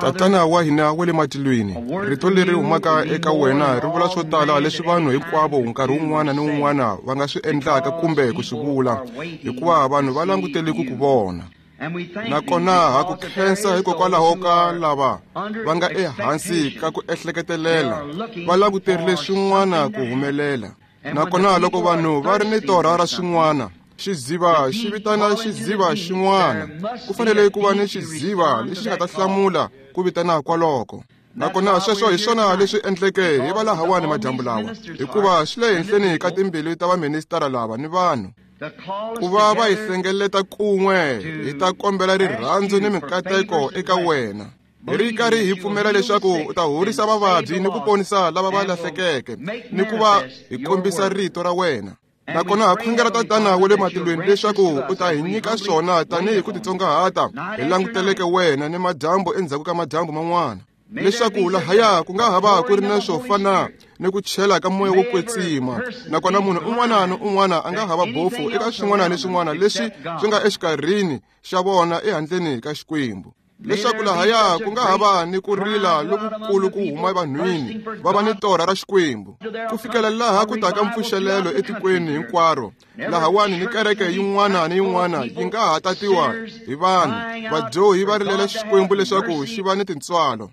Tatana wa hina wa le matilweni, rito leri humaka eka wena ri vula swo tala leswi vanhu hinkwavo nkarhi wun'wana ni wun'wana va nga swi endlaka kumbe ku swi vula, hikuva vanhu va langutele ku ku vona. Nakona ha ku khensa hikokwalaho ka lava va nga ehansi ka ku ehleketelela, va languterile swin'wana ku humelela. Nakona loko vanhu va ri ni torha ra swin'wana, xiziva xi vitana xiziva xin'wana. Ku fanele ku va ni xiziva lexi nga ta hlamula ku vitana kwaloko. Nakona sweswo hi swona leswi endleke hi va lahawani madyambu lawa, hikuva swi le henhleni ka timbilu ta vaministara lava ni vanhu ku va va hi hlengeleta kun'we hi ta kombela rirhandzu ni minkateko eka wena. Hi ri karhi hi pfumela leswaku u ta horisa vavabyi ni ku ponisa lava va lahlekeke ni ku va hi kombisa rito ra wena. Nakona ha khongela Tatana wa le matilweni leswaku u ta hi nyika swona tanihi ku titsongahata hi languteleke wena ni madyambu endzhaku ka madyambu man'wana, leswaku lahaya ku nga ha va ku ri na swo fana ni ku chela ka moya wo kwetsima. Nakona munhu un'wana ni un'wana a nga ha va bofu eka swin'wana ni swin'wana leswi swi nga exikarhini xa vona ehandleni ka Xikwembu, leswaku lahaya ku nga ha va ni ku rila lokukulu ku huma vanhwini va va ni torha ra Xikwembu, ku fikela laha ku taka mpfuxelelo etikweni hinkwaro. Lahawani ni kereke yin'wana ni yin'wana yi nga ha tatiwa hi vanhu vadyohi va rilela Xikwembu leswaku xi va ni tintswalo.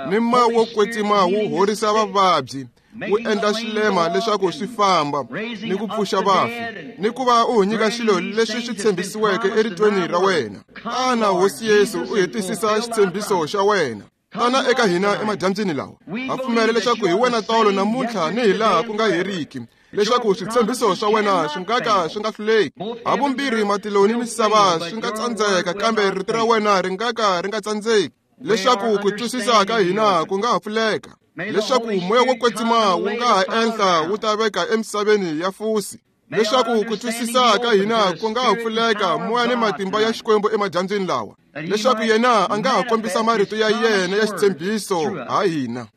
Ni moya wo kwetsima wu horisa vavabyi, wu endla swilema leswaku swi famba, ni ku pfuxa vafi, ni ku va u nyika swilo leswi swi tshembisiweke eritweni ra wena. Tana Hosi Yesu, u hetisisa xitshembiso xa wena. Tana eka hina emadyambyini lawa. Ha pfumela leswaku hi wena tolo, namuntlha ni hi laha ku nga heriki, leswaku switshembiso swa wena swi nga ka swi nga hluleki. Havumbirhi matilo ni misava swi nga tsandzeka, kambe rito ra wena ri nga ka ri nga tsandzeki, leswaku ku twisisa ka hina ku nga ha pfuleka, leswaku moya wo kwetsima wu nga ha enhla wu ta veka emisaveni ya fusi, leswaku ku twisisa ka hina ku nga ha pfuleka moya ni matimba ya Xikwembu emadyambyini lawa, leswaku yena a nga ha kombisa marito ya yena ya xitshembiso ha hina.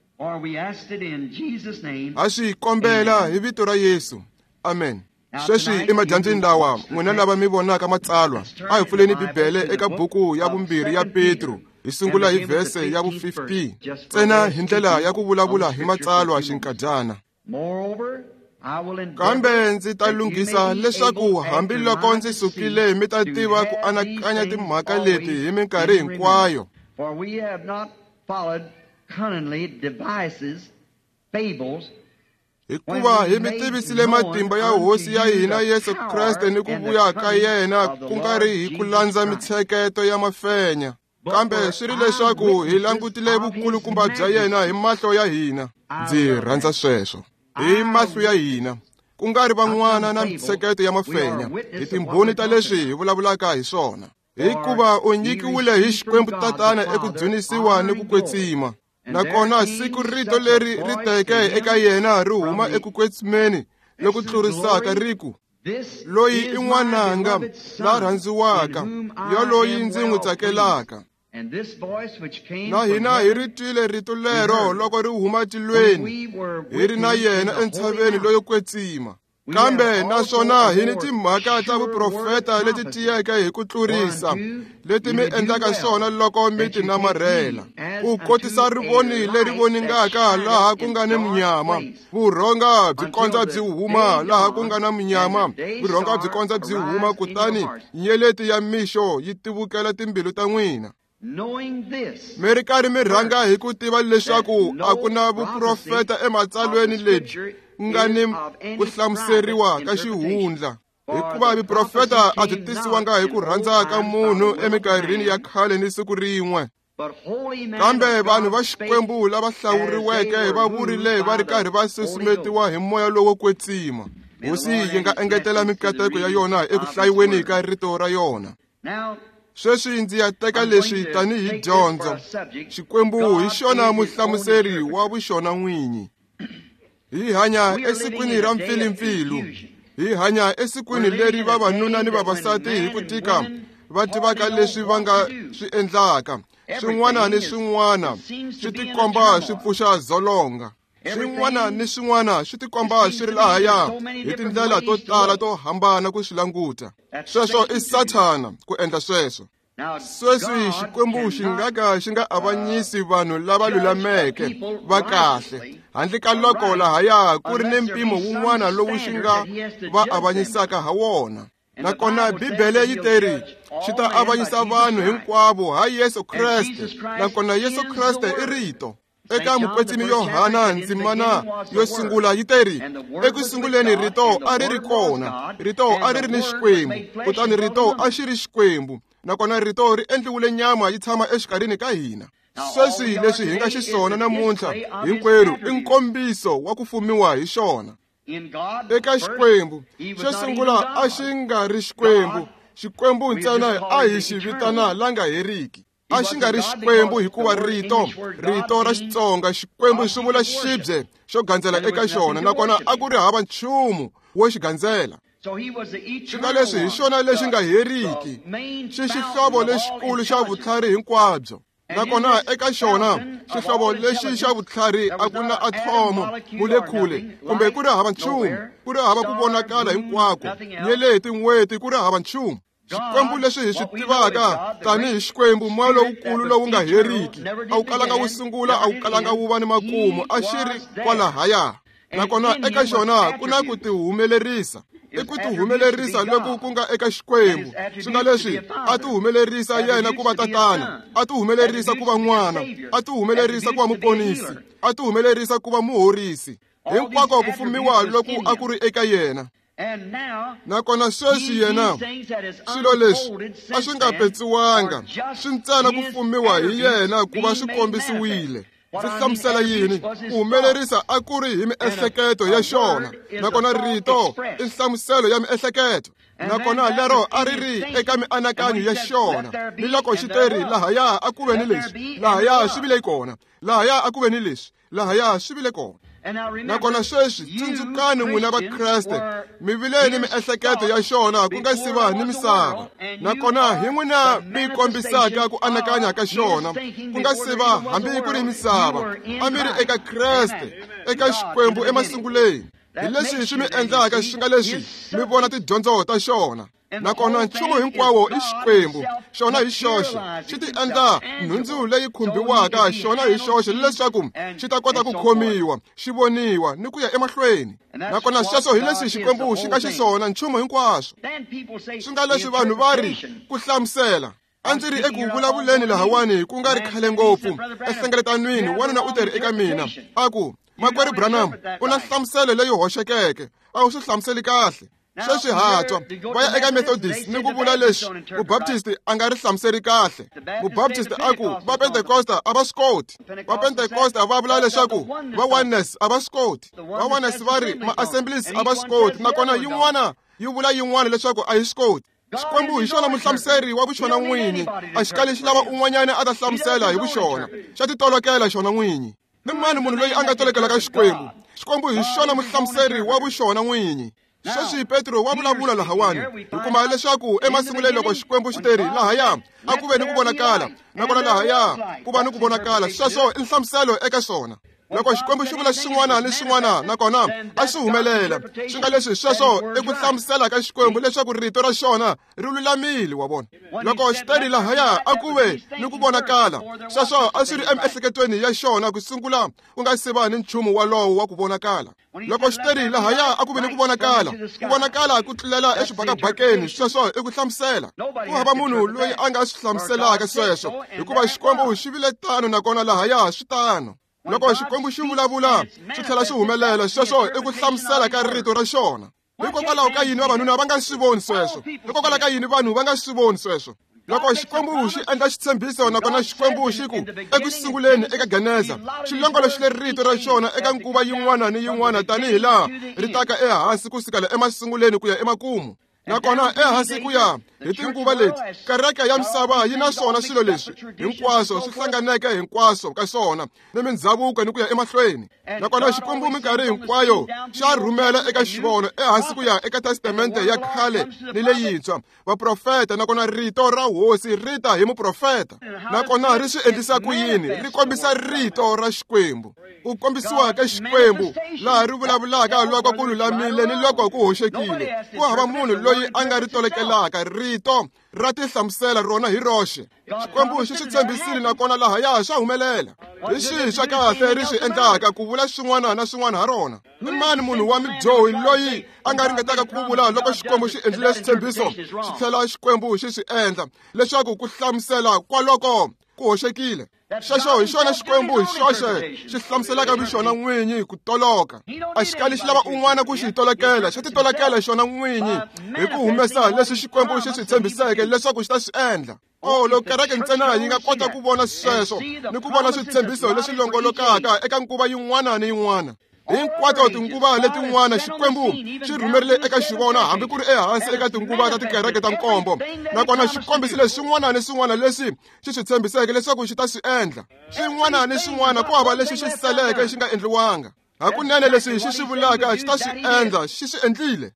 Ha swi kombela hi vito ra Yesu. Amen. Sweswi emadyambyini lawa, n'wina lava mi vonaka matsalwa, a hi pfuleni Bibele eka buku ya vumbirhi ya Petro, hi sungula hi vhese ya vu-15 ntsena hi ndlela ya ku vulavula hi matsalwa xinkadyana. Kambe ndzi ta lunghisa leswaku hambiloko ndzi sukile mi ta tiva ku anakanya timhaka leti hi minkarhi hinkwayo. Hikuva hi mi tivisile matimba ya Hosi ya hina Yesu Kreste ni ku vuya ka yena, ku nga ri hi ku landza mitsheketo ya mafenya, kambe swi ri leswaku hi langutile vukulukumba bya yena hi mahlo ya hina. Ndzi rhandza sweswo, hi mahlo ya hina, ku nga ri van'wana na mitsheketo ya mafenya, hi timbhoni ta leswi hi vulavulaka hi swona. Hikuva u nyikiwile hi Xikwembu Tatana eku dzunisiwa ni ku kwetsima. Nakona siku rito leri ri teke eka yena ri huma eku kwetsimeni loku tlurisaka ri ku, Loyi i n'wananga la rhandziwaka, yoloyi ndzi n'wi tsakelaka. Na hina hi ri twile rito lero loko ri huma tilweni, hi ri na yena entshaveni loyo kwetsima. Kambe naswona hi ni timhaka ta vuprofeta leti tiyeke hi ku tlurisa, leti mi endlaka swona loko mi ti namarhela, ku kotisa rivoni leri voningaka laha ku nga ni munyama, vurhonga byi kondza byi huma laha ku nga na munyama, vurhonga byi kondza byi huma, kutani nyeleti ya mixo yi tivukela timbilu ta n'wina. Mi ri karhi mi rhanga hi ku tiva leswaku a ku na vuprofeta ematsalweni lebyi nga ni ku hlamuseriwa ka xihundla, hikuva vuprofeta a byi tisiwanga hi ku rhandza ka munhu eminkarhini ya khale ni siku rin'we. Kambe vanhu va Xikwembu lava hlawuriweke va vurile va ri karhi va susumetiwa hi moya lowo kwetsima. Hosi yi nga engetela mikateko ya yona eku hlayiweni ka rito ra yona. Sweswi ndzi ya teka leswi tanihi dyondzo. Xikwembu hi xona muhlamuseri wa vuxona n'winyi. Hi hanya esikwini ra mpfilimpfilu. Hi hanya esikwini leri vavanuna ni vavasati hi ku tika va tivaka leswi va nga swi endlaka. Swin'wana ni swin'wana swi tikomba swi pfuxa dzolonga. Swin'wana ni swin'wana swi tikomba swi ri lahaya hi tindlela to tala to hambana ku swi languta. Sweswo i Sathana ku endla sweswo. Sweswi Xikwembu xi nga ka xi nga avanyisi vanhu lava lulameke va kahle handle ka loko lahaya ku ri ni mpimo wun'wana lowu xi nga va avanyisaka ha wona. Nakona Bibele yi teri xi ta avanyisa vanhu hinkwavo ha Yesu Kreste, nakona Yesu Kreste i Rito. Eka Mukwetsimi Yohana ndzimana yo sungula yi teri eku sunguleni Rito a ri ri kona, Rito a ri ri ni Xikwembu, kutani Rito a xi ri Xikwembu, nakona Rito ri endliwile nyama yi tshama exikarhini ka hina. Sweswi leswi hi nga xiswona namuntlha hinkwerhu i nkombiso wa ku fumiwa hi xona. Eka Xikwembu xo sungula a xi nga ri Xikwembu, Xikwembu ntsena a hi xi vitana la nga heriki. A xi nga ri Xikwembu hikuva rito ra Xitsonga Xikwembu swi vula xibye xo gandzela eka xona, nakona a ku ri hava nchumu wo xi gandzela. Xi nga leswi hi xona lexi nga heriki, xi xihlovo lexikulu xa vutlhari hinkwabyo. Nakona eka xona xihlovo lexi xa vutlhari a ku na athomo, molekhule, kumbe ku ri hava nchumu, ku ri hava ku vonakala hinkwako, nyeleti, n'weti, ku ri hava nchumu. Xikwembu leswi hi swi tivaka tanihi Xikwembu, moya lowukulu lowu nga heriki, a wu kalanga wu sungula, a wu kalanga wu va ni makumu, a xi ri kwalahaya. Nakona eka xona ku na ku tihumelerisa. I ku tihumelerisa loku ku nga eka Xikwembu. Swi nga leswi a tihumelerisa yena ku va tatana, a tihumelerisa ku va n'wana, a tihumelerisa ku va muponisi, a tihumelerisa ku va muhorisi. Hinkwako ku fumiwa loku a ku ri eka yena. Nakona sweswi yena swilo leswi a swi nga petsiwanga, swi ntsena ku fumiwa hi yena ku va swi kombisiwile. Ndzi hlamusela yini? Ku humelerisa a ku ri hi miehleketo ya xona, nakona rito i nhlamuselo ya miehleketo. Nakona lero a ri ri eka mianakanyo ya xona, ni loko xi teri lahaya a ku ve ni leswi, lahaya swi vile kona, lahaya a ku ve ni leswi, lahaya swi vile kona. Nakona sweswi tsundzukani n'wina Vakreste, mi vile ni miehleketo ya xona ku nga si va ni misava. Nakona hi n'wina mi kombisaka ku anakanya ka xona ku nga si va hambi ku ri misava. A mi ri eka Kreste, eka Xikwembu emasunguleni. Hi leswi swi mi endlaka swi nga leswi mi vona tidyondzo ta xona. Nakona nchumu hinkwawo i Xikwembu, xona hi xoxe xi ti endla nhundzu leyi khumbiwaka xona hi xoxe leswaku xi ta kota ku khomiwa, xi voniwa ni ku ya emahlweni. Nakona sweswo hi leswi Xikwembu xi nga xiswona, nchumu hinkwaswo. Swi nga leswi vanhu va ri ku hlamusela. A ndzi ri eku vulavuleni lahawani ku nga ri khale ngopfu enhlengeletanweni, wanuna u teri eka mina a ku, Makwerhu Branham, u na nhlamuselo leyi hoxekeke, a wu swi hlamuseli kahle. Sweswi hatwa va ya eka Methodist ni ku vula leswi Mubaptist a nga ri hlamuseri kahle. Mubaptist a ku va Pentecosta a va swi koti. Va Pentecosta va vula leswaku va Oneness a va swi koti. Va Oneness va ri ma-Assemblies a va swi koti, nakona yin'wana yi vula yin'wana leswaku a yi swi koti. Xikwembu hi xona muhlamuseri wa vuxona n'winyi, a xi kali xi lava un'wanyana a ta hlamusela hi vuxona, xa titolokela xona n'winyi. I mani munhu loyi a nga tolokelaka Xikwembu? Xikwembu hi xona muhlamuseri wa vuxona n'winyi. Sweswi Petro wa vulavula lahawani, hi kuma leswaku emasunguleni loko Xikwembu xi teri lahaya a ku ve ni ku vonakala, nakona lahaya ku va ni ku vonakala, sweswo i nhlamuselo eka swona. Loko Xikwembu xi vula xin'wana ni xin'wana nakona a swi humelela, swi nga leswi sweswo i ku hlamusela ka Xikwembu leswaku rito ra xona ri lulamile, wa vona. Loko xi teri lahaya a ku ve ni ku vonakala, sweswo a swi ri emiehleketweni ya xona ku sungula ku nga si va ni nchumu walowo wa ku vonakala. Loko xi teri lahaya a ku ve ni ku vonakala, ku vonakala ku tlulela exibakabakeni, sweswo i ku hlamusela. Ku hava munhu loyi a nga swi hlamuselaka sweswo, hikuva Xikwembu xi vile tano nakona lahaya swi tano. Loko Xikwembu xi vulavula swi tlhela swi humelela, sweswo i ku hlamusela ka rito ra xona. Hikokwalaho ka yini vavanuna va nga swi voni sweswo? Hikokwalaho ka yini vanhu va nga swi voni sweswo? Loko Xikwembu xi endla xitshembiso, nakona Xikwembu xi ku eku sunguleni eka Geneza, xi longoloxile rito ra xona eka nguva yin'wana ni yin'wana tanihi laha ri taka ehansi ku sukela emasunguleni ku ya emakumu. Nakona ehansi ku ya hi tinguva leti, kereke ya misava yi na swona swilo leswi hinkwaswo swi hlanganeke hinkwaswo ka swona ni mindhavuko ni ku ya emahlweni. Nakona Xikwembu minkarhi hinkwayo xa rhumela eka xivono ehansi ku ya eka testamente ya khale ni leyintshwa, vaprofeta, nakona rito ra hosi ri ta hi muprofeta. Nakona ri swi endlisa ku yini? Ri kombisa rito ra Xikwembu. Ku kombisiwa ka Xikwembu laha ri vulavulaka loko ku lulamile ni loko ku hoxekile. Ku hava munhu loyi loyi a nga ri tolokelaka rito ra tihlamusela rona hi roxe. Xikwembu xi swi tshembisile nakona lahaya swa humelela. Hi xihi xa kahle ri swi endlaka ku vula swin'wana na swin'wana ha rona? I mani munhu wa midyohi loyi a nga ringetaka ku vula loko Xikwembu xi endlile xitshembiso xi tlhela Xikwembu xi swi endla leswaku ku hlamusela kwaloko ku hoxekile? Xexo hi xona Xikwembu hi xoxe xi hlamuselaka vuxona n'winyi ku toloka. A xi kali xi lava un'wana ku xi tolokela, xa titolokela xona n'winyi hi ku humesa leswi Xikwembu xi swi tshembiseke leswaku xi ta swi endla. Oh, loko kereke ntsena yi nga kota ku vona sweswo ni ku vona switshembiso leswi longolokaka eka nguva yin'wana ni yin'wana. Hinkwato tinguva letin'wana Xikwembu xi rhumerile eka xivona hambi ku ri ehansi eka tinguva ta tikereke ta nkombo, nakona xi kombisile swin'wana ni swin'wana leswi xi swi tshembiseke leswaku xi ta swi endla. Swin'wana ni swin'wana ku hava lexi xi seleke xi nga endliwanga. Hakunene leswi xi swi vulaka xi ta swi endla, xi swi endlile.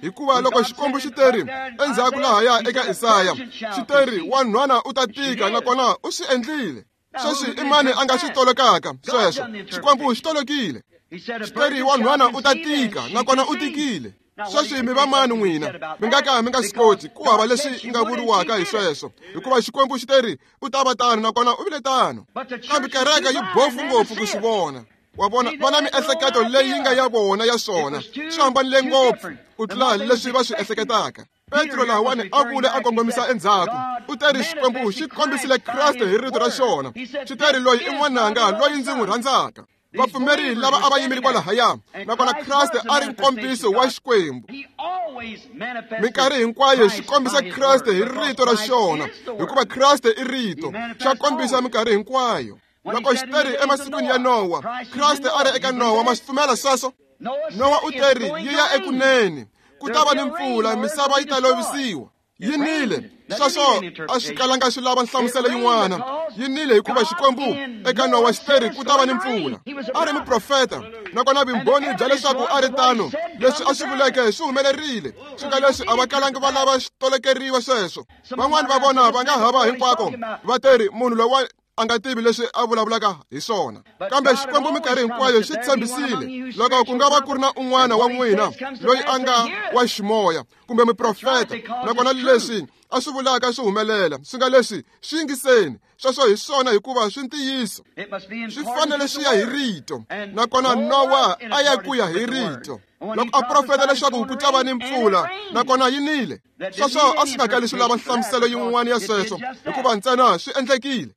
Hikuva loko Xikwembu xi teri endzhaku lahaya eka Isaya, xi teri wanhwana u ta tika, nakona u swi endlile. Sweswi i mani a nga swi tolokaka sweswo? Xikwembu xi tolokile. Xi teri wanhwana u ta tika, nakona u tikile. Sweswi mi va mani n'wina? Mi nga ka mi nga swi koti ku hava leswi nga vuriwaka hi sweswo, hikuva Xikwembu xi teri u ta va tano, nakona u vile tano. Kambe kereke yi bofu ngopfu ku swi vona. Wa vona, va na miehleketo leyi nga ya vona ya swona, swi hambanile ngopfu ku tlula leswi va swi ehleketaka. Petro lahawani a vule a kongomisa endzhaku, u teri Xikwembu xi kombisile Kreste hi rito ra xona. Xi teri loyi i n'wananga loyi ndzi n'wi rhandzaka. Vapfumeri lava a va yimile kwalahaya, nakona Kreste a ri nkombiso wa Xikwembu. Minkarhi hinkwayo xi kombisa Kreste hi rito ra xona, hikuva Kreste i rito. Xa kombisa minkarhi hinkwayo. Loko xi teri emasikwini ya Nowa, Kreste a ri eka Nowa. Ma swi pfumela sweswo? Nowa u teri yi ya ekunene, ku ta va ni mpfula, misava yi ta lovisiwa. Yi nile. Sweswo a swi kalanga swi lava nhlamuselo yin'wana. Yi nile hikuva Xikwembu eka Nowa xi teri ku ta va ni mpfula. A ri muprofeta, nakona vumbhoni bya leswaku a ri tano, leswi a swi vuleke swi humelerile. Swi nga leswi a va kalangi va lava swi tolokeriwa sweswo. Van'wani va vona va nga hava hinkwako va teri munhu lowa a nga tivi leswi a vulavulaka hi swona. Kambe Xikwembu minkarhi hinkwayo xi tshembisile, loko ku nga va ku ri na un'wana wa n'wina loyi a nga wa ximoya kumbe muprofeta, nakona leswi a swi vulaka swi humelela, swi nga leswi swi yingiseni. Sweswo hi swona hikuva swi ntiyiso. Swi fanele swi ya hi rito, nakona Nowa a ya ku ya hi rito. Loko a profeta leswaku ku ta va ni mpfula, nakona yi nile. Sweswo a swi nga kali swi lava nhlamuselo yin'wana ya sweswo, hikuva ntsena swi endlekile.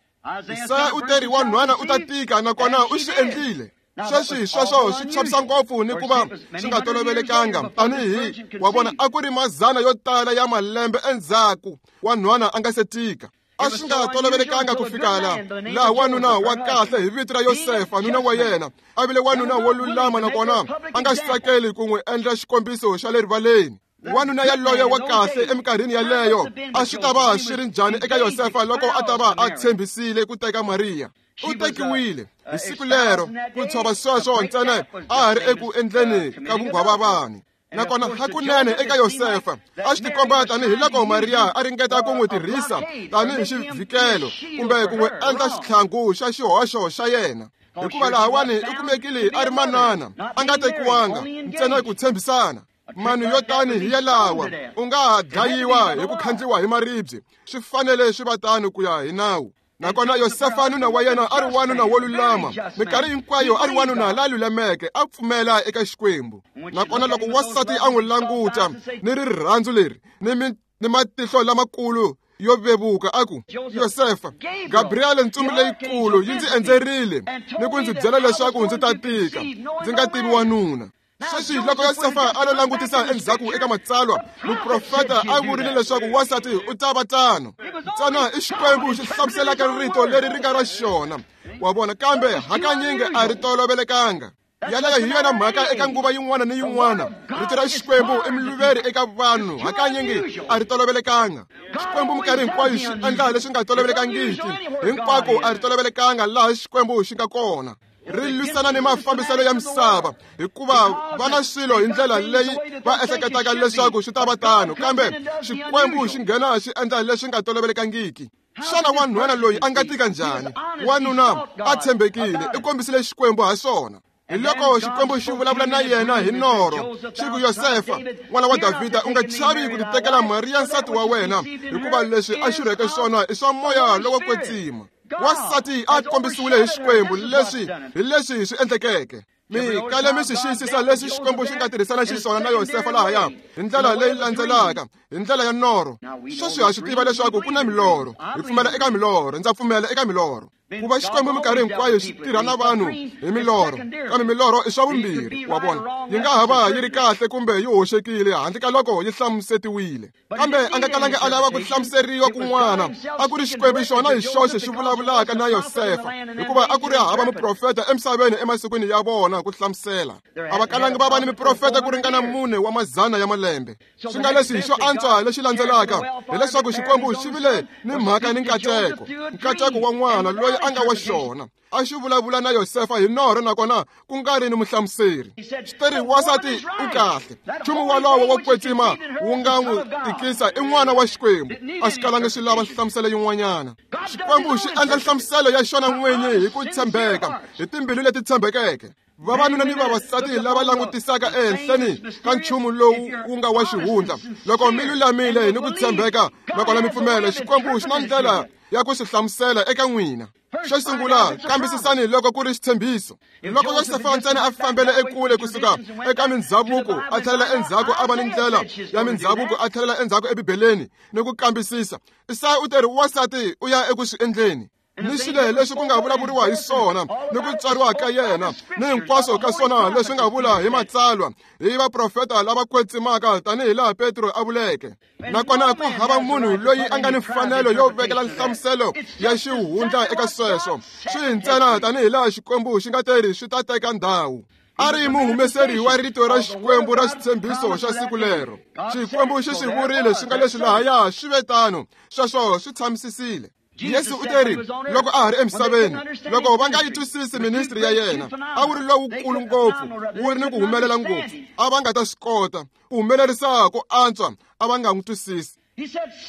Isaya u teri wanhwana u ta tika, nakona u swi endlile. Sweswi sweswo swi chavisa ngopfu ni ku va swi nga tolovelekanga, tanihi wa vona a ku ri mazana yo tala ya malembe endzhaku wanhwana a nga se tika. A swi nga tolovelekanga ku fika laha wanuna wa kahle hi vito ra Yosefa, nuna wa yena, a vile wanuna wo lulama, nakona a nga swi tsakeli ku n'wi endla xikombiso xa le rivaleni. Wanuna yaloye wa kahle eminkarhini yaleyo a swi ta va swi ri njhani eka Yosefa loko a ta va a tshembisile ku teka Mariya? U tekiwile hi siku lero, ku tshova sweswo ntsena a ha ri eku endleni ka vunghwavavani. Nakona hakunene eka Yosefa a swi tikomba tanihi loko Mariya a ringeta ku n'wi tirhisa tanihi xivhikelo kumbe ku n'wi endla xitlhangu xa xihoxo xa yena, hikuva lahawani u kumekile a ri manana, a nga tekiwanga, ntsena ku tshembisana. Manu yo tani hi yalawa u nga ha dlayiwa hi ku khandliwa hi maribye, swi fanele swi va tano ku ya hi nawu. Nakona Yosefa nuna wa yena a ri wanuna wo lulama, minkarhi hinkwayo a ri wanuna la lulameke, a pfumela eka Xikwembu. Nakona loko wansati a n'wi languta ni rirhandzu leri ni matihlo lamakulu yo vevuka, a ku, Yosefa, Gabriele ntsumi leyikulu yi ndzi endzerile ni ku ndzi byela leswaku ndzi ta tika, ndzi nga tivi wanuna. Sweswi loko Yosefa a lo langutisa endzhaku eka matsalwa, muprofeta a vurile leswaku wansati u ta va tano. Ntsena i Xikwembu xi hlamuselaka rito leri ri nga ra xona, wa vona, kambe hakanyingi a ri tolovelekanga. Yaleyo hi yona mhaka eka nguva yin'wana ni yin'wana, rito ra Xikwembu i muluveri eka vanhu, hakanyingi a ri tolovelekanga. Xikwembu minkarhi hinkwayo xi endla leswi nga tolovelekangiki, hinkwako a ri tolovelekanga laha Xikwembu xi nga kona. Ri lwisana ni mafambiselo ya misava, hikuva va na swilo hi ndlela leyi va ehleketaka leswaku swi ta va tano, kambe Xikwembu xi nghena xi endla leswi nga tolovelekangiki. Xana wanhwana loyi a nga tika njhani? Wanuna a tshembekile, i kombisile Xikwembu ha swona. Hi loko Xikwembu xi vulavula na yena hi norho, xi ku, Yosefa, n'wana wa Davhida, u nga chavi ku titekela Mariya nsati wa wena, hikuva leswi a xurheke swona i swa moya lowo kwetsima. Wansati a kombisiwile hi Xikwembu leswi hi leswi swi endlekeke. Mi kale mi swi xiyisisa leswi Xikwembu xi nga tirhisana xiswona na Yosefa lahaya hi ndlela leyi landzelaka, hi ndlela ya norho. Sweswi ha swi tiva leswaku ku na milorho. Hi pfumela eka milorho. Ndza pfumela eka milorho. Ku va Xikwembu minkarhi hinkwayo xi tirha na vanhu hi milorho, kambe milorho i swa vumbirhi, wa vona. Yi nga ha va yi ri kahle kumbe yi hoxekile handle ka loko yi hlamusetiwile. Kambe a nga kalangi a lava ku hlamuseriwa kun'wana. A ku ri Xikwembu xona hi xoxe xi vulavulaka na Yosefa, hikuva a ku ri hava muprofeta emisaveni emasikwini ya vona ku hlamusela. A va kalangi va va ni miprofeta ku ringana 400 ya malembe. Swi nga leswi xo antswa lexi landzelaka hileswaku Xikwembu xi vile ni mhaka ni nkateko, nkateko wa n'wana loyi a nga wa xona. A xi vulavula na Yosefa hi norho nakona ku nga ri ni muhlamuseri. Xi teri, wansati u kahle. Nchumu wolowo wo kwetsima wu nga n'wi tikisa i n'wana wa Xikwembu. A xi kalangi swi lava nhlamuselo yin'wanyana. Xikwembu xi endla nhlamuselo ya xona n'winyi hi ku tshembeka, hi timbilu leti tshembekeke. Vavanuna ni vavasati lava langutisaka ehenhleni ka nchumu lowu wu nga wa xihundla, loko mi lulamile ni ku tshembeka nakona mi pfumela, Xikwembu xi na ndlela ya ku swi hlamusela eka n'wina. Xo sungula, kambisisani loko ku ri xitshembiso. Loko Yosefa ntsena a fambele ekule kusuka eka mindzhavuko, a tlhelela endzhaku a va ni ndlela ya mindzhavuko, a tlhelela endzhaku eBibeleni ni ku kambisisa. Isaya u teri, wansati u ya eku swi endleni. Ni swilo leswi ku nga vulavuriwa hi swona ni ku tswariwa ka yena ni hinkwaswo ka swona leswi nga vula hi matsalwa hi vaprofeta lava kwetsimaka, tanihi laha Petro a vuleke. Nakona ku hava munhu loyi a nga ni mfanelo yo vekela nhlamuselo ya xihundla eka sweswo. Swi ntsena tanihi laha Xikwembu xi nga teri swi ta teka ndhawu. A ri muhumeseri wa rito ra Xikwembu ra xitshembiso xa siku lero. Xikwembu xi swi vurile swi nga leswi lahaya swi ve tano, sweswo swi tshamisisile. Yesu u teri loko a ha ri emisaveni, loko va nga yi twisisi ministry ya yena, a wu ri lowukulu ngopfu, wu ri ni ku humelela ngopfu, a va nga ta swi kota ku humelerisa ku antswa, a va nga n'wi twisisi.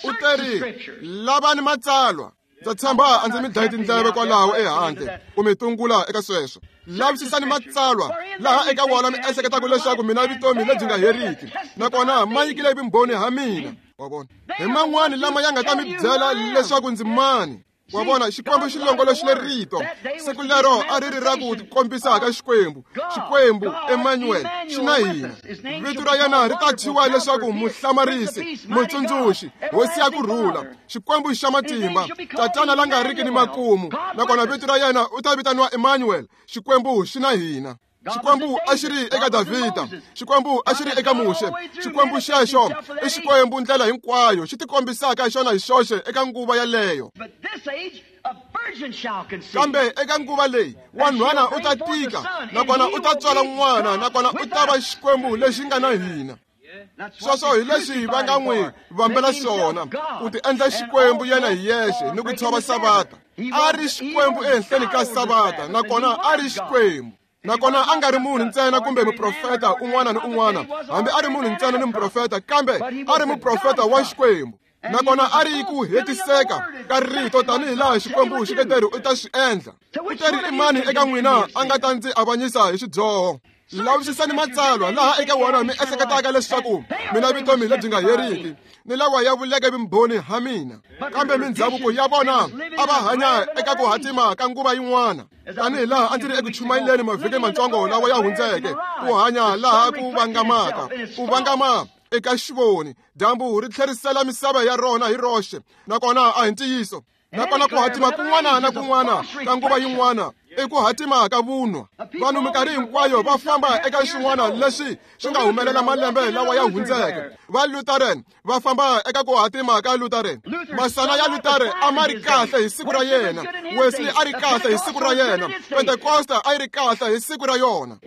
U teri, lavani matsalwa. Ndza tshemba a ndzi mi dlayi tindleve kwalaho ehandle ku mi tungula eka sweswo. Lavisisani matsalwa laha eka wona mi ehleketaka leswaku mina vutomi lebyi nga heriki, nakona ma nyikile vumbhoni ha mina. Wa vona, hi man'wani lama ya nga ta mi byela leswaku ndzi mani. Wa vona, Xikwembu xi longoloxile rito. Siku lero a ri ri ra ku tikombisa ka Xikwembu. Xikwembu, Emmanuel, xi na hina. Vito ra yena ri ta thyiwa leswaku Muhlamarisi, Mutsundzuxi, Hosi ya ku rhula, Xikwembu xa matimba, Tatana la nga riki ni makumu. Nakona vito ra yena u ta vitaniwa Emmanuel, Xikwembu xi na hina. Xikwembu a xi ri eka Davhida, Xikwembu a xi ri eka Muxe. Xikwembu xexo i Xikwembu ndlela hinkwayo xi tikombisaka xona hi xoxe eka nguva yaleyo. Kambe eka nguva leyi, wanhwana u ta tika, nakona u ta tswala n'wana, nakona u ta va Xikwembu lexi nga na hina. Sweswo hi leswi va nga n'wi vambela swona, ku ti endla Xikwembu yena hi yexe ni ku tshova Savata. A ri Xikwembu ehenhleni ka Savata, nakona a ri Xikwembu. Nakona a nga ri munhu ntsena kumbe muprofeta un'wana ni un'wana, hambi a ri munhu ntsena ni muprofeta, kambe a ri muprofeta wa Xikwembu. Nakona a ri ku hetiseka ka rito tanihi laha Xikwembu xi nga teri u ta swi endla. U teri, i mani eka n'wina a nga ta ndzi avanyisa hi xidyoho? Lavisisani matsalwa laha eka wona mi ehleketaka leswaku mina vutomi lebyi nga heriki, ni lawa ya vuleke vumbhoni ha mina. Kambe mindzhavuko ya vona a va hanya eka ku hatima ka nguva yin'wana, tanihi laha a ndzi ri eku chumayeleni mavhiki matsongo lawa ya hundzeke, ku hanya laha ku vangamaka, ku vangama eka xivoni. Dyambu ri tlherisela misava ya rona hi roxe, nakona a hi ntiyiso. Nakona ku hatima kun'wana na kun'wana ka nguva yin'wana i ku hatima ka vunwa. Vanhu minkarhi hinkwayo va famba eka swin'wana leswi swi nga humelela malembe lawa ya hundzeke. Va Lutheran va famba eka ku hatima ka Lutheran. Masana ya Luther a ma ri kahle hi siku ra yena, Wesley a ri kahle hi siku ra yena, Pentecosta a yi ri kahle hi siku ra yona.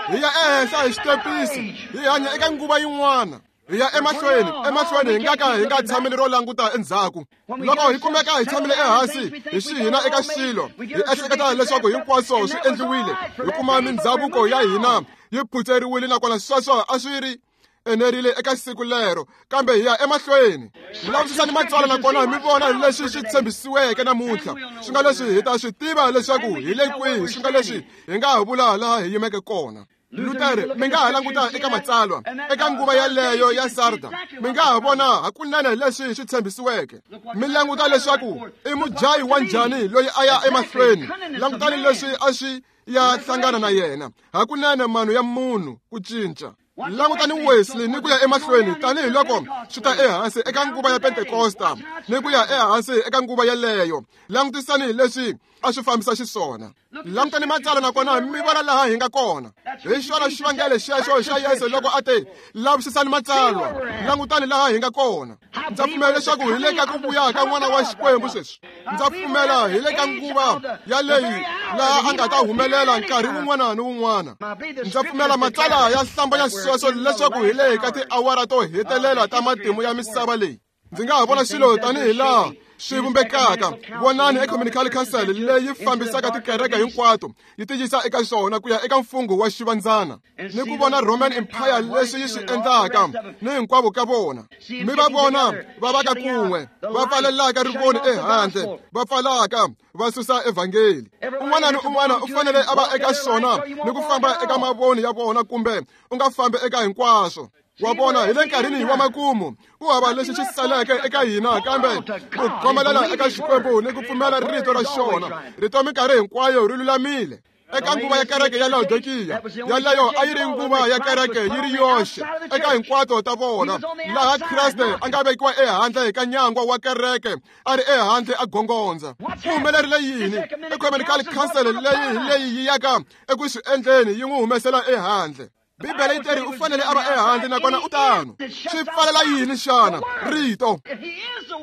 Hi ya ehenhla hi xitepisi, hi hanya eka nguva yin'wana. Hi ya emahlweni, emahlweni, hi nga ka hi nga tshameli ro languta endzhaku. Loko hi kumeka hi tshamile ehansi hi swi hina eka xilo, hi ehleketa leswaku hinkwaswo swi endliwile, hi kuma mindzhavuko ya hina yi phutseriwile, nakona sweswo a swi ri enerile eka siku lero, kambe hi ya emahlweni. Lavisisani matsalwa nakona mi vona leswi swi tshembisiweke namuntlha. Swi nga leswi hi ta swi tiva leswaku hi le kwihi, swi nga leswi hi nga ha vula laha hi yimeke kona. Luther, mi nga ha languta eka matsalwa eka nguva yaleyo ya Sarda, mi nga ha vona hakunene leswi swi tshembisiweke. Mi languta leswaku i mudyayi wa njhani loyi a ya emahlweni. Langutani leswi a swi ya hlangana na yena, hakunene mano ya munhu ku cinca. Langutani Wesley ni ku ya emahlweni tanihiloko swi ta ehansi eka nguva ya Pentekosta ni ku ya ehansi eka nguva yeleyo. Langutisani leswi a swi fambisa xiswona. Langutani matsalwa nakona mi vona laha hi nga kona. Hi xona xivangelo xexo xa Yesu loko a te, lavisisani matsalwa, langutani laha hi nga kona. Ndza pfumela leswaku hi le ka ku vuya ka N'wana wa Xikwembu sweswi. Ndza pfumela hi le ka nguva yaleyi laha a nga ta humelela nkarhi wun'wana ni wun'wana. Ndza pfumela matsalwa ya hlambanya sweswo leswaku hi le ka tiawara to hetelela ta matimu ya misava leyi. Ndzi nga ha vona swilo tanihi laha swi vumbekaka. Vonani Ecumenical Council leyi fambisaka tikereke hinkwato yi tiyisa eka swona ku ya eka mfungho wa xivandzana, ni ku vona Roman Empire leswi yi swi endlaka ni hinkwavo ka vona. Mi va vona va va ka kun'we, va pfalelaka rivoni ehandle, va pfalaka va susa evhangeli. Un'wana ni un'wana u fanele a va eka xona ni ku famba eka mavoni ya vona, kumbe u nga fambi eka hinkwaswo. Wa vona hi le nkarhini wa makumu, ku hava lexi xi saleke eka hina kambe ku khomelela eka Xikwembu ni ku pfumela rito ra xona. Rito minkarhi hinkwayo ri lulamile. Eka nguva ya kereke ya Laodikiya, yaleyo a yi ri nguva ya kereke yi ri yoxe eka hinkwato ta vona, laha Kreste a nga vekiwa ehandle ka nyangwa wa kereke, a ri ehandle a gongondza. Ku humelerile yini? Ecumenical Council leyi hi leyi yi yaka eku swi endleni yi n'wi humesela ehandle. Bibele yi teri u fanele a va ehandle nakona u tano. Swi pfalela yini xana? Rito.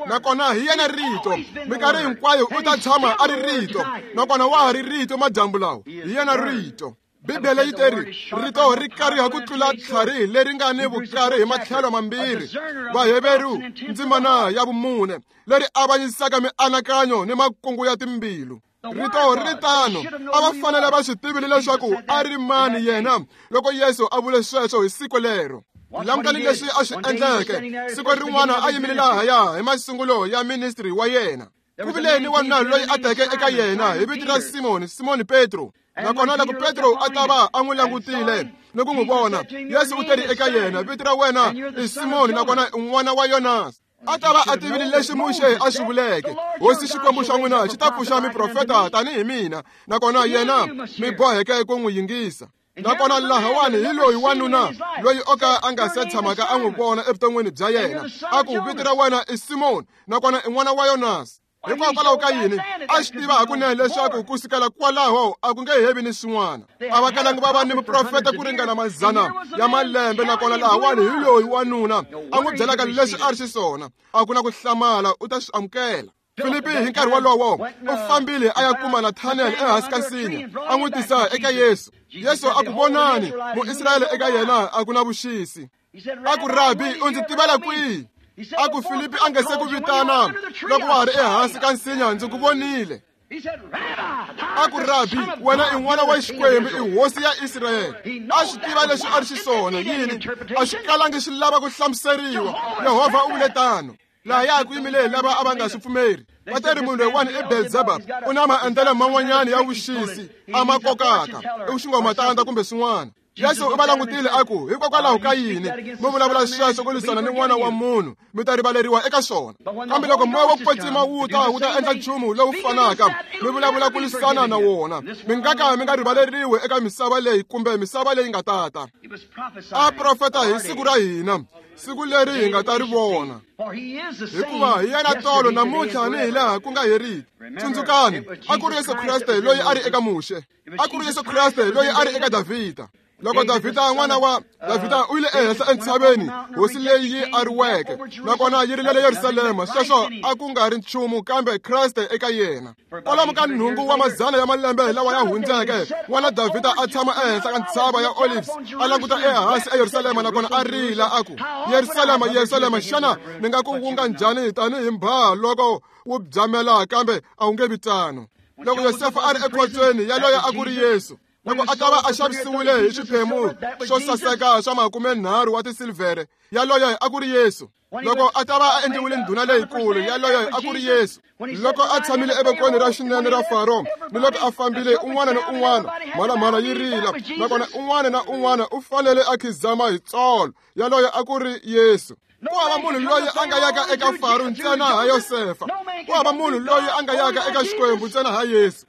Nakona hi yena rito. Minkarhi hinkwayo u ta tshama a ri rito. Nakona wa ha ri rito madyambu lawa. Hi yena rito. Bibele yi teri rito ri kariha ku tlula tlhari leri nga ni vukari hi matlhelo mambirhi. Vaheveru ndzimana ya vumune leri avanyisaka mianakanyo ni makungu ya timbilu. Rito ri tano, a va fanele va swi tivile leswaku a ri mani yena loko Yesu a vule sweswo hi siku lero. Langutani leswi a swi endleke. Siku rin'wana a yimile lahaya hi masungulo ya ministry wa yena. Ku vile ni wanuna loyi a teke eka yena hi vito ra Simoni, Simoni Petro. Nakona loko Petro a ta va a n'wi langutile ni ku n'wi vona, Yesu u teri eka yena, vito ra wena i Simoni nakona i n'wana wa Yonasi. A ta va a tivile leswi Muxe a swi vuleke, Hosi Xikwembu xa n'wina xi ta pfuxa miprofeta tanihi mina, nakona yena mi boheke ku n'wi yingisa. Nakona lahawani hi loyi wanuna loyi o ka a nga se tshamaka a n'wi vona evuton'wini bya yena, a ku vito ra wena i Simoni nakona i n'wana wa Yonasi. Hikwalaho ka yini? A swi tiva hakunene leswaku ku sukela kwalaho a ku nge hevi ni swin'wana. A va kalangi va va ni muprofeta ku ringana mazana ya malembe, nakona lahawani hi loyi wanuna a n'wi byelaka leswi a ri xiswona. A ku na ku hlamala, u ta swi amukela. Filipi hi nkarhi wolowo u fambile a ya kuma Nathaniel ehansi ka nsinya, a n'wi tisa eka Yesu. Yesu a ku, vonani Muisrayele eka yena a ku na vuxisi. A ku, Rabi, u ndzi tivela kwihi? A ku, Filipi a nga se ku vitana loko wa ha ri ehansi ka nsinya, ndzi ku vonile. A ku, Rabi, wena i n'wana wa Xikwembu, i hosi ya Israyele. A swi tiva leswi a ri xiswona. Yini? A swi kalangi swi lava ku hlamuseriwa. Yehovha u vule tano. Lahaya ku yimile lava a va nga swi pfumeri. Va teri munhu loyiwani i Belzebub, u na maendlelo man'wanyana ya vuxisi a ma kokaka, i xingomatanda kumbe swin'wana. Yesu u va langutile a ku, hikokwalaho ka yini mi vulavula sweswo ku lwisana ni n'wana wa munhu, mi ta rivaleriwa eka swona. Kambe loko moya wa ku kwetsima wu ta, wu ta endla nchumu lowu fanaka, mi vulavula ku lwisana na wona, mi nga ka mi nga rivaleriwi eka misava leyi kumbe misava leyi nga tata. A profeta hi siku ra hina, siku leri hi nga ta ri vona. Hikuva hi yena tolo namuntlha ni hi laha ku nga heriki. Tsundzukani, a ku ri Yesu Kreste loyi a ri eka Muxe. A ku ri Yesu Kreste loyi a ri eka Davhida. Loko Davhida n'wana wa Davhida u yile ehenhla entshaveni, hosi leyi yi ariweke, nakona yi rilele Yerusalema, sweswo a ku nga ri nchumu kambe Kreste eka yena. Kwalomu ka nhungu wa mazana ya malembe lawa ya hundzeke, n'wana Davhida a tshama ehenhla ka ntshava ya Olives, a languta ehansi eYerusalema nakona a rila a ku, Yerusalema, Yerusalema, xana ni nga ku wunga njhani tanihi mbhaha loko wu byamela, kambe a wu nge vi tano. Loko Yosefa a ri ekhotsweni, yaloye a ku ri Yesu. Loko a ta va a xavisiwile hi swiphemu swo saseka swa 30 wa tisilivhere, yaloye a ku ri Yesu. Loko a ta va a endliwile ndhuna leyikulu, yaloye a ku ri Yesu. Loko a tshamile evokweni ra xinene ra Faro, ni loko a fambile un'wana ni un'wana, mhalamhala yi rila, nakona un'wana na un'wana u fanele a khizama hi tsolo, yaloye a ku ri Yesu. Ku hava munhu loyi a nga yaka eka Faro ntsena ha Yosefa. Ku hava munhu loyi a nga yaka eka Xikwembu ntsena ha Yesu.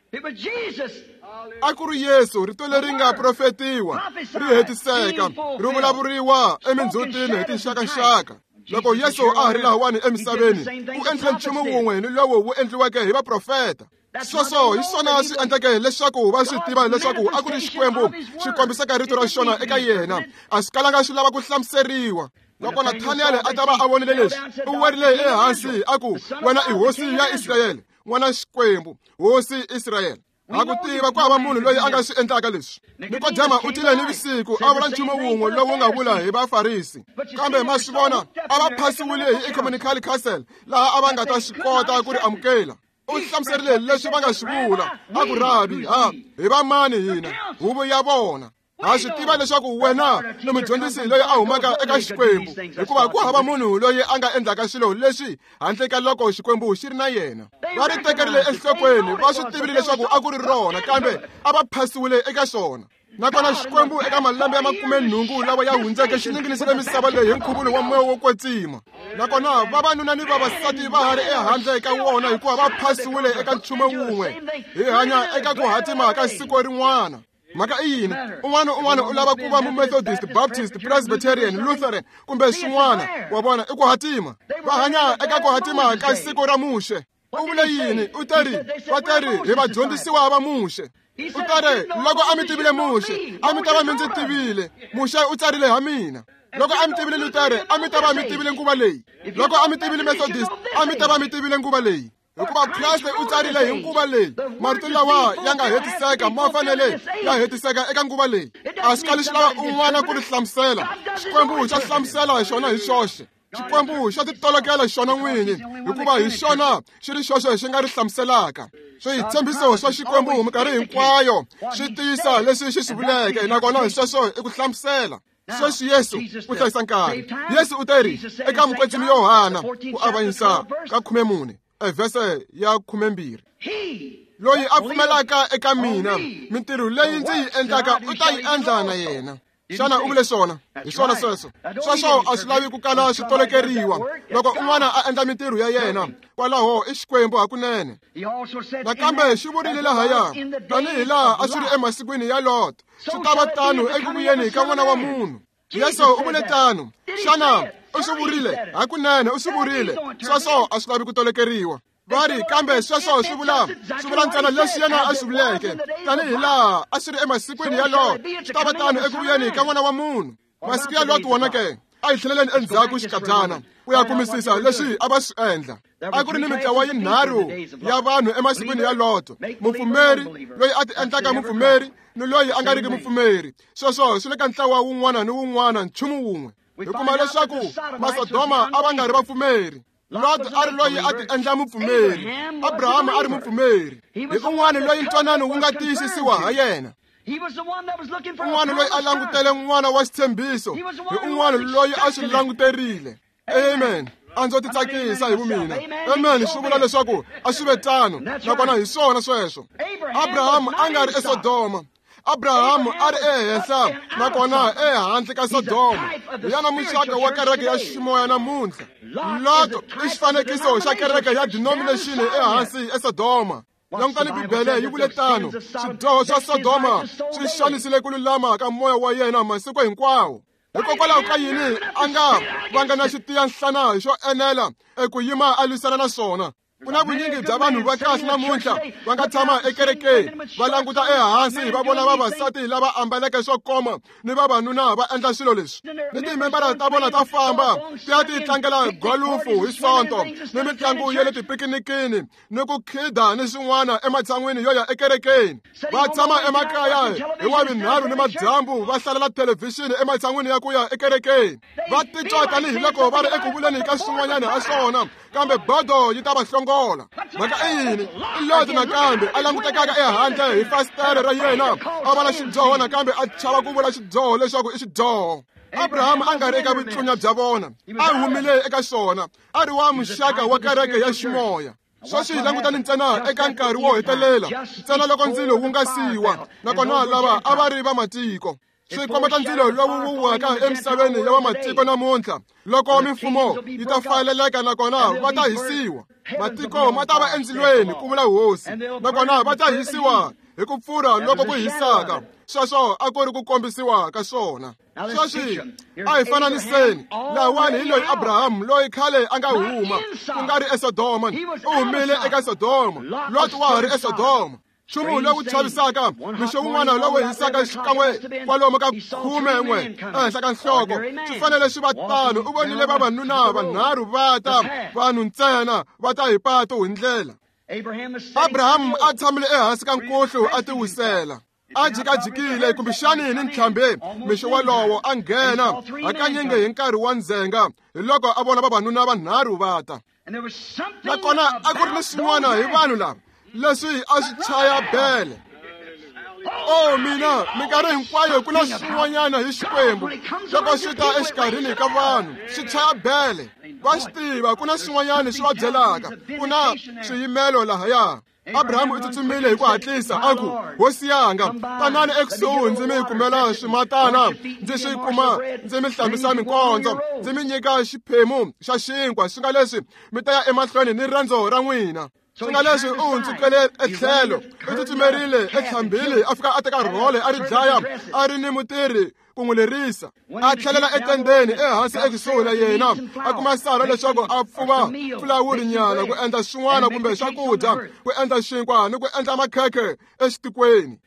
A ku ri Yesu, rito leri nga profetiwa, ri hetiseka, ri vulavuriwa emindzhutini hi tinxakaxaka. Loko Yesu a ha ri lahawani emisaveni, u endle nchumu wun'we ni lowu wu endliweke hi vaprofeta. Sweswo hi swona swi endleke leswaku va swi tiva leswaku a ku ri Xikwembu xi kombisaka rito ra xona eka yena. A swi kalanga swi lava ku hlamuseriwa. Loko Nathaniel a ta va a vonile leswi, u werile ehansi a ku, "Wena i hosi ya Israyele, n'wana Xikwembu, hosi Israyele." Ha ku tiva ku hava munhu loyi a nga swi endlaka leswi. Nikodema u tile ni vusiku a vula nchumu wun'we lowu nga vula hi Vafarisi. Kambe ma swi vona, a va phasiwile hi Ecumenical Council laha a va nga ta swi kota ku ri amukela. U hlamuserile leswi va nga swi vula, a ku, "Rabi, ha hi va mani hina? Huvo ya vona. Ha swi tiva leswaku wena ni mudyondzisi loyi a humaka eka Xikwembu, hikuva ku hava munhu loyi a nga endlaka swilo leswi handle ka loko Xikwembu xi ri na yena." Va ri tekerile enhlokweni, va swi tivile leswaku a ku ri rona, kambe a va phasiwile eka swona. Nakona Xikwembu eka malembe ya 80 lawa ya hundzeke xi ninginisile misava leyi hi nkhuvulo wa moya wo kwetsima. Nakona vavanuna ni vavasati va ha ri ehandle ka wona hikuva va phasiwile eka nchumu wun'we. Hi hanya eka ku hatima ka siku rin'wana. Mhaka i yini? Un'wana na un'wana u lava ku va Mumethodist, Baptist, Presbyterian, Lutheran kumbe swin'wana. Wa vona, i ku hatima. Va hanya eka ku hatima ka siku ra Muxe. U vule yini? U teri, va teri hi vadyondzisiwa va Muxe. U teri, loko a mi tivile Muxe, a mi ta va mi ndzi tivile. Muxe u tsarile ha mina. Loko a mi tivile Lutere, a mi ta va mi tivile nguva leyi. Loko a mi tivile Methodist, a mi ta va mi tivile nguva leyi. Hikuva Kreste u tsarile hi nguva leyi. Marito lawa ya nga hetiseka ma fanele ya hetiseka eka nguva leyi. A swi kali swi lava un'wana ku ri hlamusela. Xikwembu xa hlamusela xona hi xoxe. Xikwembu xa titolokela xona n'winyi, hikuva hi xona xi ri xoxe xi nga ri hlamuselaka. Switshembiso swa Xikwembu minkarhi hinkwayo swi tiyisa leswi xi swi vuleke, nakona sweswo i ku hlamusela. Sweswi Yesu u hlayisa nkarhi. Yesu u teri eka mukwetsimi Yohana ku avanyisa ka 14, evhese ya 12, "Loyi a pfumelaka eka mina, mintirho leyi ndzi yi endlaka u ta yi endla na yena." Xana u vule swona? Hi swona sweswo. Sweswo a swi lavi ku kala swi tolokeriwa. Loko un'wana a endla mintirho ya yena, kwalaho i Xikwembu hakunene. Nakambe xi vurile lahaya, tanihi laha a swi ri emasikwini ya Lot, swi ta va tano eku vuyeni ka N'wana wa Munhu. Yesu u vule tano. Xana u swi vurile? Hakunene u swi vurile. Sweswo a swi lavi ku tolokeriwa. Va ri, kambe sweswo swi vula ntsena leswi yena a swi vuleke, tanihi laha a swi ri emasikwini ya Lot, swi ta va tano eku vuyeni ka N'wana wa Munhu. Masiku ya Lot wona ke? A hi tlheleleni endzhaku xikadyana ku ya kumisisa leswi a va swi endla. A ku ri ni mintlawa yinharhu ya vanhu emasikwini ya Lot: mupfumeri loyi a ti endlaka mupfumeri ni loyi a nga riki mupfumeri. Sweswo swi le ka ntlawa wun'wana ni wun'wana nchumu wun'we. Hi kuma leswaku Masodoma a va nga ri vapfumeri. Lot a ri loyi a ti endla mupfumeri, Abraham a ri mupfumeri. Hi un'wana loyi ntwanano wu nga tiyisisiwa ha yena. Un'wana loyi a langutele n'wana wa xitshembiso, hi un'wana loyi a swi languterile. Amen. A ndzo titsakisa hi vumina. Amen. Swi vula leswaku a swi ve tano, nakona hi swona sweswo. Abraham a nga ri eSodoma. Abraham a ri ehenhla nakona ehandle ka Sodoma. Hi yena muxaka wa kereke ya ximoya namuntlha. Lot i xifanekiso xa kereke ya denomination ehansi eSodoma. Langutani Bibele yi vule tano. Swidyoho swa Sodoma swi xanisile ku lulama ka moya wa yena masiku hinkwawo. Hikokwalaho ka yini a nga vanga na xitiyanhlana xo enela eku yima a lwisana na swona? Ku na vunyingi bya vanhu va kahle namuntlha va nga tshama ekerekeni, va languta ehansi va vona vavasati lava ambaleke swo koma ni vavanuna va endla swilo leswi. Ni timembara ta vona ta famba ti ya ti tlangela golufu hi Sonto ni mitlangu ya le tipikinikini ni ku khida ni swin'wana ematshan'wini yo ya ekerekeni. Va tshama emakaya hi Wavunharhu ni madyambu va hlalela thelevhixini ematshan'wini ya ku ya ekerekeni. Va titwa tanihiloko va ri eku vuleni ka swin'wanyana ha swona, Kambe bodo yi ta va hlongola. Mhaka i yini? I Loti nakambe a langutekaka ehandle hi fasitere ra yena, a vona xidyoho nakambe a chava ku vula xidyoho leswaku i xidyoho. Abraham a nga ri eka vutlunya bya vona, a humile eka xona, a ri wa muxaka wa kereke ya ximoya. Sweswi hi langutani ntsena eka nkarhi wo hetelela, ntsena loko ndzilo wu nga siwa, nakona lava a va ri va matiko. Swi kombeta ndzilo lowu wu waka emisaveni ya vamatiko namuntlha, loko mimfumo yi ta fayeleleka nakona va ta hisiwa. Matiko ma ta va endzilweni, ku vula Hosi, nakona va ta hisiwa hi ku pfurha loko ku hisaka. Sweswo a ku ri ku kombisiwa ka swona. Sweswi a hi fananiseni, lawani hi loyi Abraham loyi khale a nga huma, ku nga ri eSodoma, u humile eka Sodoma. Lot wa ha ri eSodoma. Nchumu lowu chavisaka, mixo wun'wana lowu hisaka xikan'we kwalomu ka 11 ehenhla ka nhloko, swi fanele swi va tano. U vonile vavanuna vanharhu va ta, vanhu ntsena va ta hi pato hi ndlela. Abraham a tshamile ehansi ka nkuhlu a tiwisela, a jikajikile kumbexani ni ntlhambi. Mixo wolowo a nghena hakanyingi hi nkarhi wa ndzhenga, hi loko a vona vavanuna vanharhu va ta. Nakona a ku ri ni swin'wana hi vanhu lava leswi a swi chaya bele. O mina, minkarhi hinkwayo ku na swin'wanyana hi Xikwembu loko swi ta exikarhini ka vanhu, swi chaya bele. Va swi tiva ku na swin'wanyana swi va byelaka, ku na swiyimelo lahaya. Abraham u tsutsumile hi ku hatlisa a ku, Hosi yanga, tanani ekusuhi ndzi mi kumela swimatana, ndzi swi kuma, ndzi mi hlambisa minkondzo, ndzi mi nyika xiphemu xa xinkwa, swi nga leswi mi ta ya emahlweni ni riendzo ra n'wina. Swi nga leswi u hundzukele etlhelo, u tsutsumerile etlhambini, a fika a teka rhole a ri dlaya, a ri ni mutirhi ku n'wi lerisa. A tlhelela etendeni ehansi ekusuhi na yena, a kuma Sara leswaku a pfuva fulawuri nyana ku endla swin'wana kumbe swakudya, ku endla xinkwa ni ku endla makhekhe exitikweni,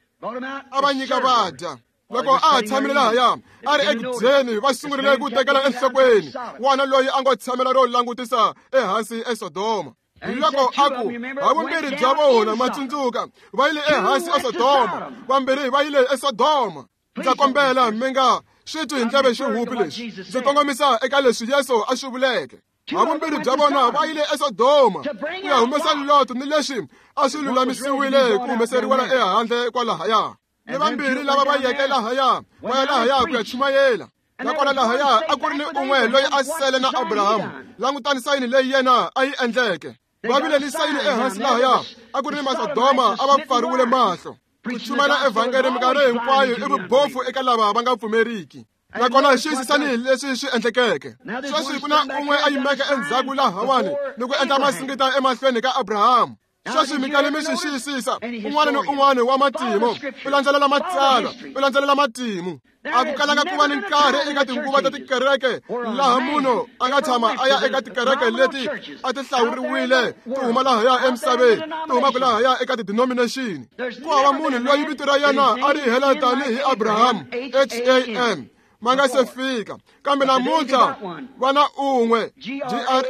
a va nyika va dya. Loko a ha tshamile lahaya, a ri ekudyeni, va sungurile ku tekela enhlokweni n'wana loyi a ngo tshamela ro langutisa ehansi eSodoma. Loko a ku, havumbirhi bya vona, ma tsundzuka, va yile ehansi eSodoma, vambirhi va yile eSodoma. Ndza kombela mi nga swi twi hi ndleve xihupi lexi, ndzi kongomisa eka leswi Yesu a swi vuleke. Havumbirhi bya vona va yile eSodoma ku ya humesa Lot ni leswi a swi lulamisiwile ku humeseriwa ehandle kwalahaya. Ni vambirhi lava va yeke lahaya, va ya lahaya ku ya chumayela. Nakona lahaya a ku ri ni un'we loyi a sele na Abraham. Langutani sayini leyi yena a yi endleke. Va vile ni sayini ehansi lahaya, a ku ri ni Masodoma a va pfariwile mahlo. Ku chumayela evhangeli minkarhi hinkwayo i vubofu eka lava va nga pfumeriki. Nakona xiyisisani leswi swi endlekeke. Sweswi ku na un'we a yimeke endzhaku lahawani ni ku endla masingita emahlweni ka Abraham. Sweswi mi kale mi swi xiyisisa, un'wana ni un'wana wa matimu u landzelela matsalwa, u landzelela matimu. A ku kalanga ku va ni nkarhi eka tinguva ta tikereke laha munhu a nga tshama a ya eka tikereke leti a ti hlawuriwile ti huma lahaya emisaveni, ti humaka lahaya eka ti-denomination. Ku hava munhu loyi vito ra yena a ri hela tanihi Abraham, H-A-M, ma nga se fika. Kambe namuntlha va na un'we,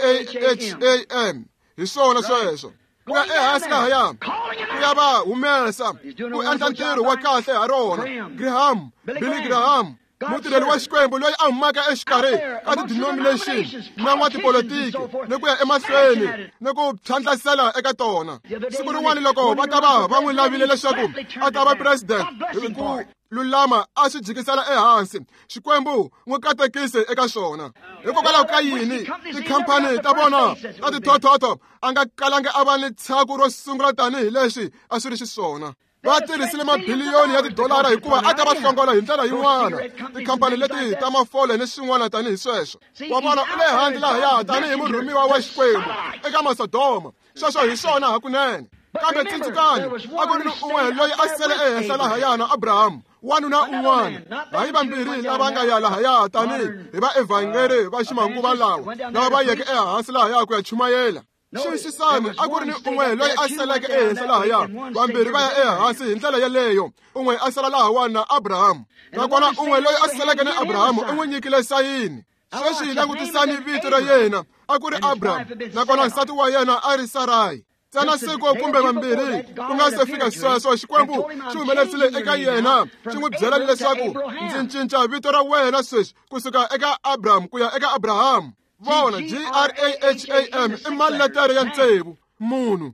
G-R-A-H-A-M. Hi swona sweswo. Ku ya ehansi lahaya, ku ya va humesa, ku endla ntirho wa kahle ha rona. Graham, Billy Graham, mutirheli wa Xikwembu loyi a humaka exikarhi ka ti-denomination na n'watipolitiki ni ku ya emahlweni ni ku tlhandlasela eka tona. Siku rin'wana loko va ta va va n'wi lavile leswaku a ta va president, hi ku lulama a swi jikisela ehansi, Xikwembu n'wi katekise eka swona. Hikokwalaho ka yini tikhampani ta vona ta tithothoto a nga kalanga a va ni tshaku ro sungula tanihi leswi a swi ri xiswona? Va tirhisile mabiliyoni ya tidolara hikuva a ta va hlongola hi ndlela yin'wana, tikhampani leti ta mafole ni swin'wana tanihi sweswo. Wa vona, u le handle lahaya tanihi murhumiwa wa Xikwembu eka Masodoma. Sweswo hi swona hakunene. Kambe tsundzukani, a ku ri ni un'we loyi a sele ehenhla lahaya na Abraham, wanuna un'wana, hayi vambirhi lava nga ya lahaya tanihi hi vaevhangeri va ximanguva lawa, lava va yeke ehansi lahaya ku ya chumayela. Xiyisisani, a ku ri ni un'we loyi a seleke ehenhla lahaya, vambirhi va ya ehansi hi ndlela yeleyo, un'we a sala lahawani na Abraham. Nakona un'we loyi a seleke na Abraham u n'wi nyikile sayini. Sweswi langutisani vito ra yena, a ku ri Abraham, nakona nsati wa yena a ri Sarai. Ntsena siku kumbe vambirhi ku nga se fika sweswo, Xikwembu xi humelerisile eka yena, xi n'wi byela leswaku ndzi cinca vito ra wena sweswi kusuka eka Abraham ku ya eka Abraham. Vona G-R-A-H-A-M i maletere ya tsevu munhu,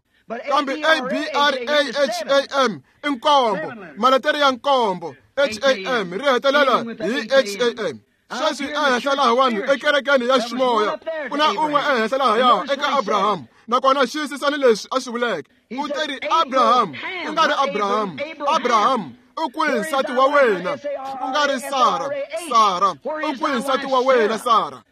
kambe A-B-R-A-H-A-M i nkombo, maletere ya nkombo. H-A-M ri hetelela hi H-A-M. Sweswi ehenhla lahawani ekerekeni ya ximoya ku na un'we ehenhla lahaya eka Abrahamu, nakona xiyisisani leswi a swi vuleke. U teri Abrahamu, ku nga ri Abrahamu, Abrahamu u kwihi nsati wa wena? Ku nga ri Sara, Sara u kwihi nsati wa wena Sara?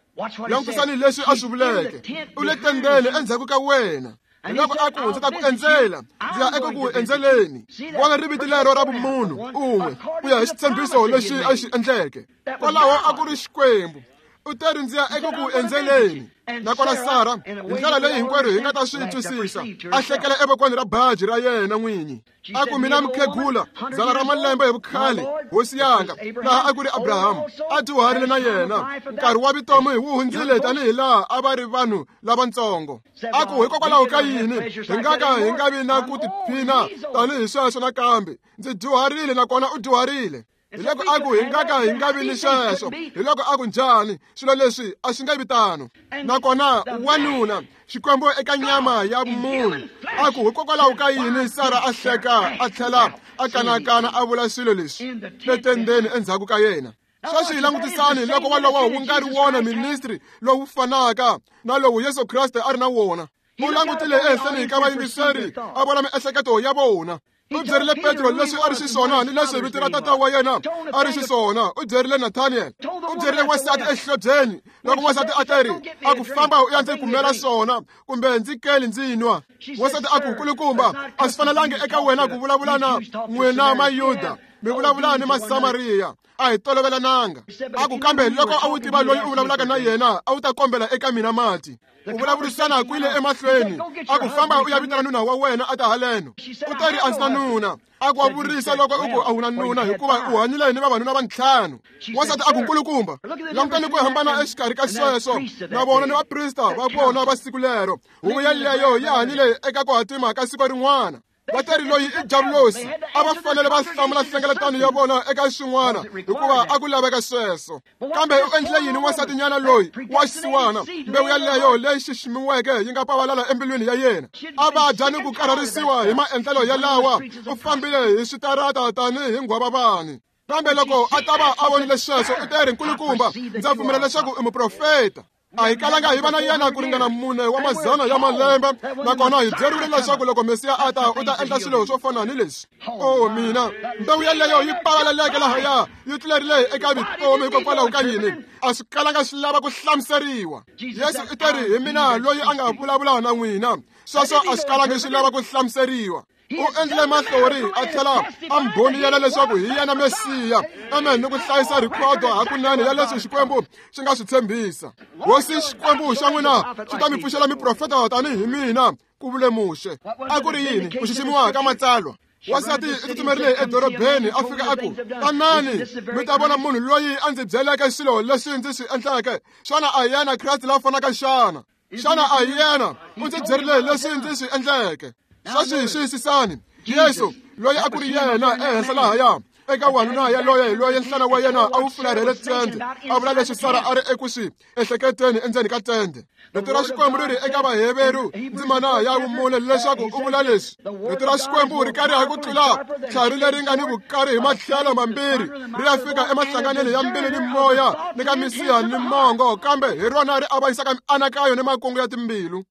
Langutisani leswi a swi vuleke. U le tendeni endzhaku ka wena. Hiloko a ku, ndzi ta ku endzela, ndzi ya eku ku endzeleni. Vona riviti lero ra vumunhu un'we ku ya hi xitshembiso lexi a xi endleke. Kwalaho a ku ri Xikwembu. U teri ndzi ya eku ku endzeleni. Nakona Sara, hi ndlela leyi hinkwerhu hi nga ta swi twisisa, a hlekela evokweni ra baji ra yena n'winyi. A ku, mina mukhegula, dzana ra malembe hi vukhale, hosi yanga, laha a ku ri Abrahamu, a dyuharile na yena. Nkarhi wa vutomi wu hundzile tanihi laha a va ri vanhu lavatsongo. A ku, hikokwalaho ka yini hi nga ka hi nga vi na ku tiphina tanihi sweswo nakambe? Ndzi dyuharile nakona u dyuharile. Hiloko a ku, hi nga ka hi nga vi ni sweswo. Hiloko a ku, njhani? Swilo leswi a swi nga vi tano. Nakona wanuna, Xikwembu eka nyama ya munhu, a ku, hikokwalaho ka yini Sara a hleka a tlhela a kanakana a vula swilo leswi letendeni endzhaku ka yena? Sweswi hi langutisani loko walowo wu nga ri wona ministry lowu fanaka na lowu Yesu Kreste a ri na wona. U langutile ehenhleni ka vayingiseri a vona miehleketo ya vona. U byerile Petro leswi a ri xiswona ni leswi vito ra tata wa yena a ri xiswona. U byerile Nathaniel. U byerile wansati exihlobyeni loko wansati a teri a ku, famba u ya ndzi kumela swona kumbe ndzi keli ndzi nwa. Wansati a ku, kulukumba, a swi fanelangi eka wena ku vulavula na n'wina Mayuda, mi vulavula ni Masamariya. A hi tolovelananga. A ku, kambe loko a wu tiva loyi u vulavulaka na yena, a wu ta kombela eka mina mati. Ku vulavurisana ku yile emahlweni. A ku, famba u ya vitana nuna wa wena a ta haleno. U teri a ndzi na nuna. A ku, wa vurisa loko u ku a wu na nuna, hikuva u hanyile ni vavanuna va ntlhanu. Wansati a ku, nkulukumba, langutani ku hambana exikarhi ka sweswo na vona ni vaprista va vona va siku lero. Huvo yeleyo yi hanyile eka ku hatima ka siku rin'wana. Va teri loyi i diabulosi. A va fanele va hlamula nhlengeletano ya vona eka swin'wana, hikuva a ku laveka sweswo. Kambe u endlile yini wansatinyana loyi wa xisiwana? Mbewu yaleyo leyi xiximiweke yi nga pavalala embilwini ya yena. A vabya ni ku karharisiwa hi maendlelo yalawa. U fambile hi switarata tanihi nghwavavani. Kambe loko a ta va a vonile sweswo, u teri, nkulukumba, ndza pfumela leswaku i muprofeta. A hi kalanga hi va na yena ku ringana 4 wa mazana ya malembe, nakona hi byeriwile leswaku loko Mesiya a ta, u ta endla swilo swo fana ni leswi. O mina, mbewu yeleyo yi pavaleleke lahaya, yi tlulerile eka vutomi. Hikokwalaho ka yini? A swi kalanga swi lava ku hlamuseriwa. Yesu u teri, hi mina loyi a nga vulavula na n'wina. Sweswo a swi kalangi swi lava ku hlamuseriwa. U endlile mahlori a tlhela a mbhoniyela leswaku hi yena Mesiya. Amen. Ni ku hlayisa rhikhodo hakunene ya leswi Xikwembu xi nga swi tshembisa. Hosi Xikwembu xa n'wina xi ta mi pfuxela miprofeta tanihi mina, ku vule Muxe. A ku ri yini? Ku xiximiwa ka matsalwa. Wansati u tsutsumerile edorobeni a fika a ku, tanani mi ta vona munhu loyi a ndzi byeleke swilo leswi ndzi swi endleke. Xana a hi yena Kreste la fanaka xana? Xana a hi yena? U ndzi byerile leswi ndzi swi endleke. Sweswi xiyisisani. Yesu loyi a ku ri yena ehenhla lahaya eka wanuna yaloye hi loyi nhlana wa yena a wu fularhele tende, a vula leswi Sara a ri eku swi ehleketeni endzeni ka tende. Rito ra Xikwembu ri ri eka Vaheveru ndzimana ya vumune leswaku u vula leswi. Rito ra Xikwembu ri kariha ku tlula tlhari leri nga ni vukari hi matlhelo mambirhi, ri ya fika emahlanganeni ya mbilu ni moya ni ka misiha ni mongo, kambe hi rona ri avanyisaka mianakanyo ni makungu ya timbilu.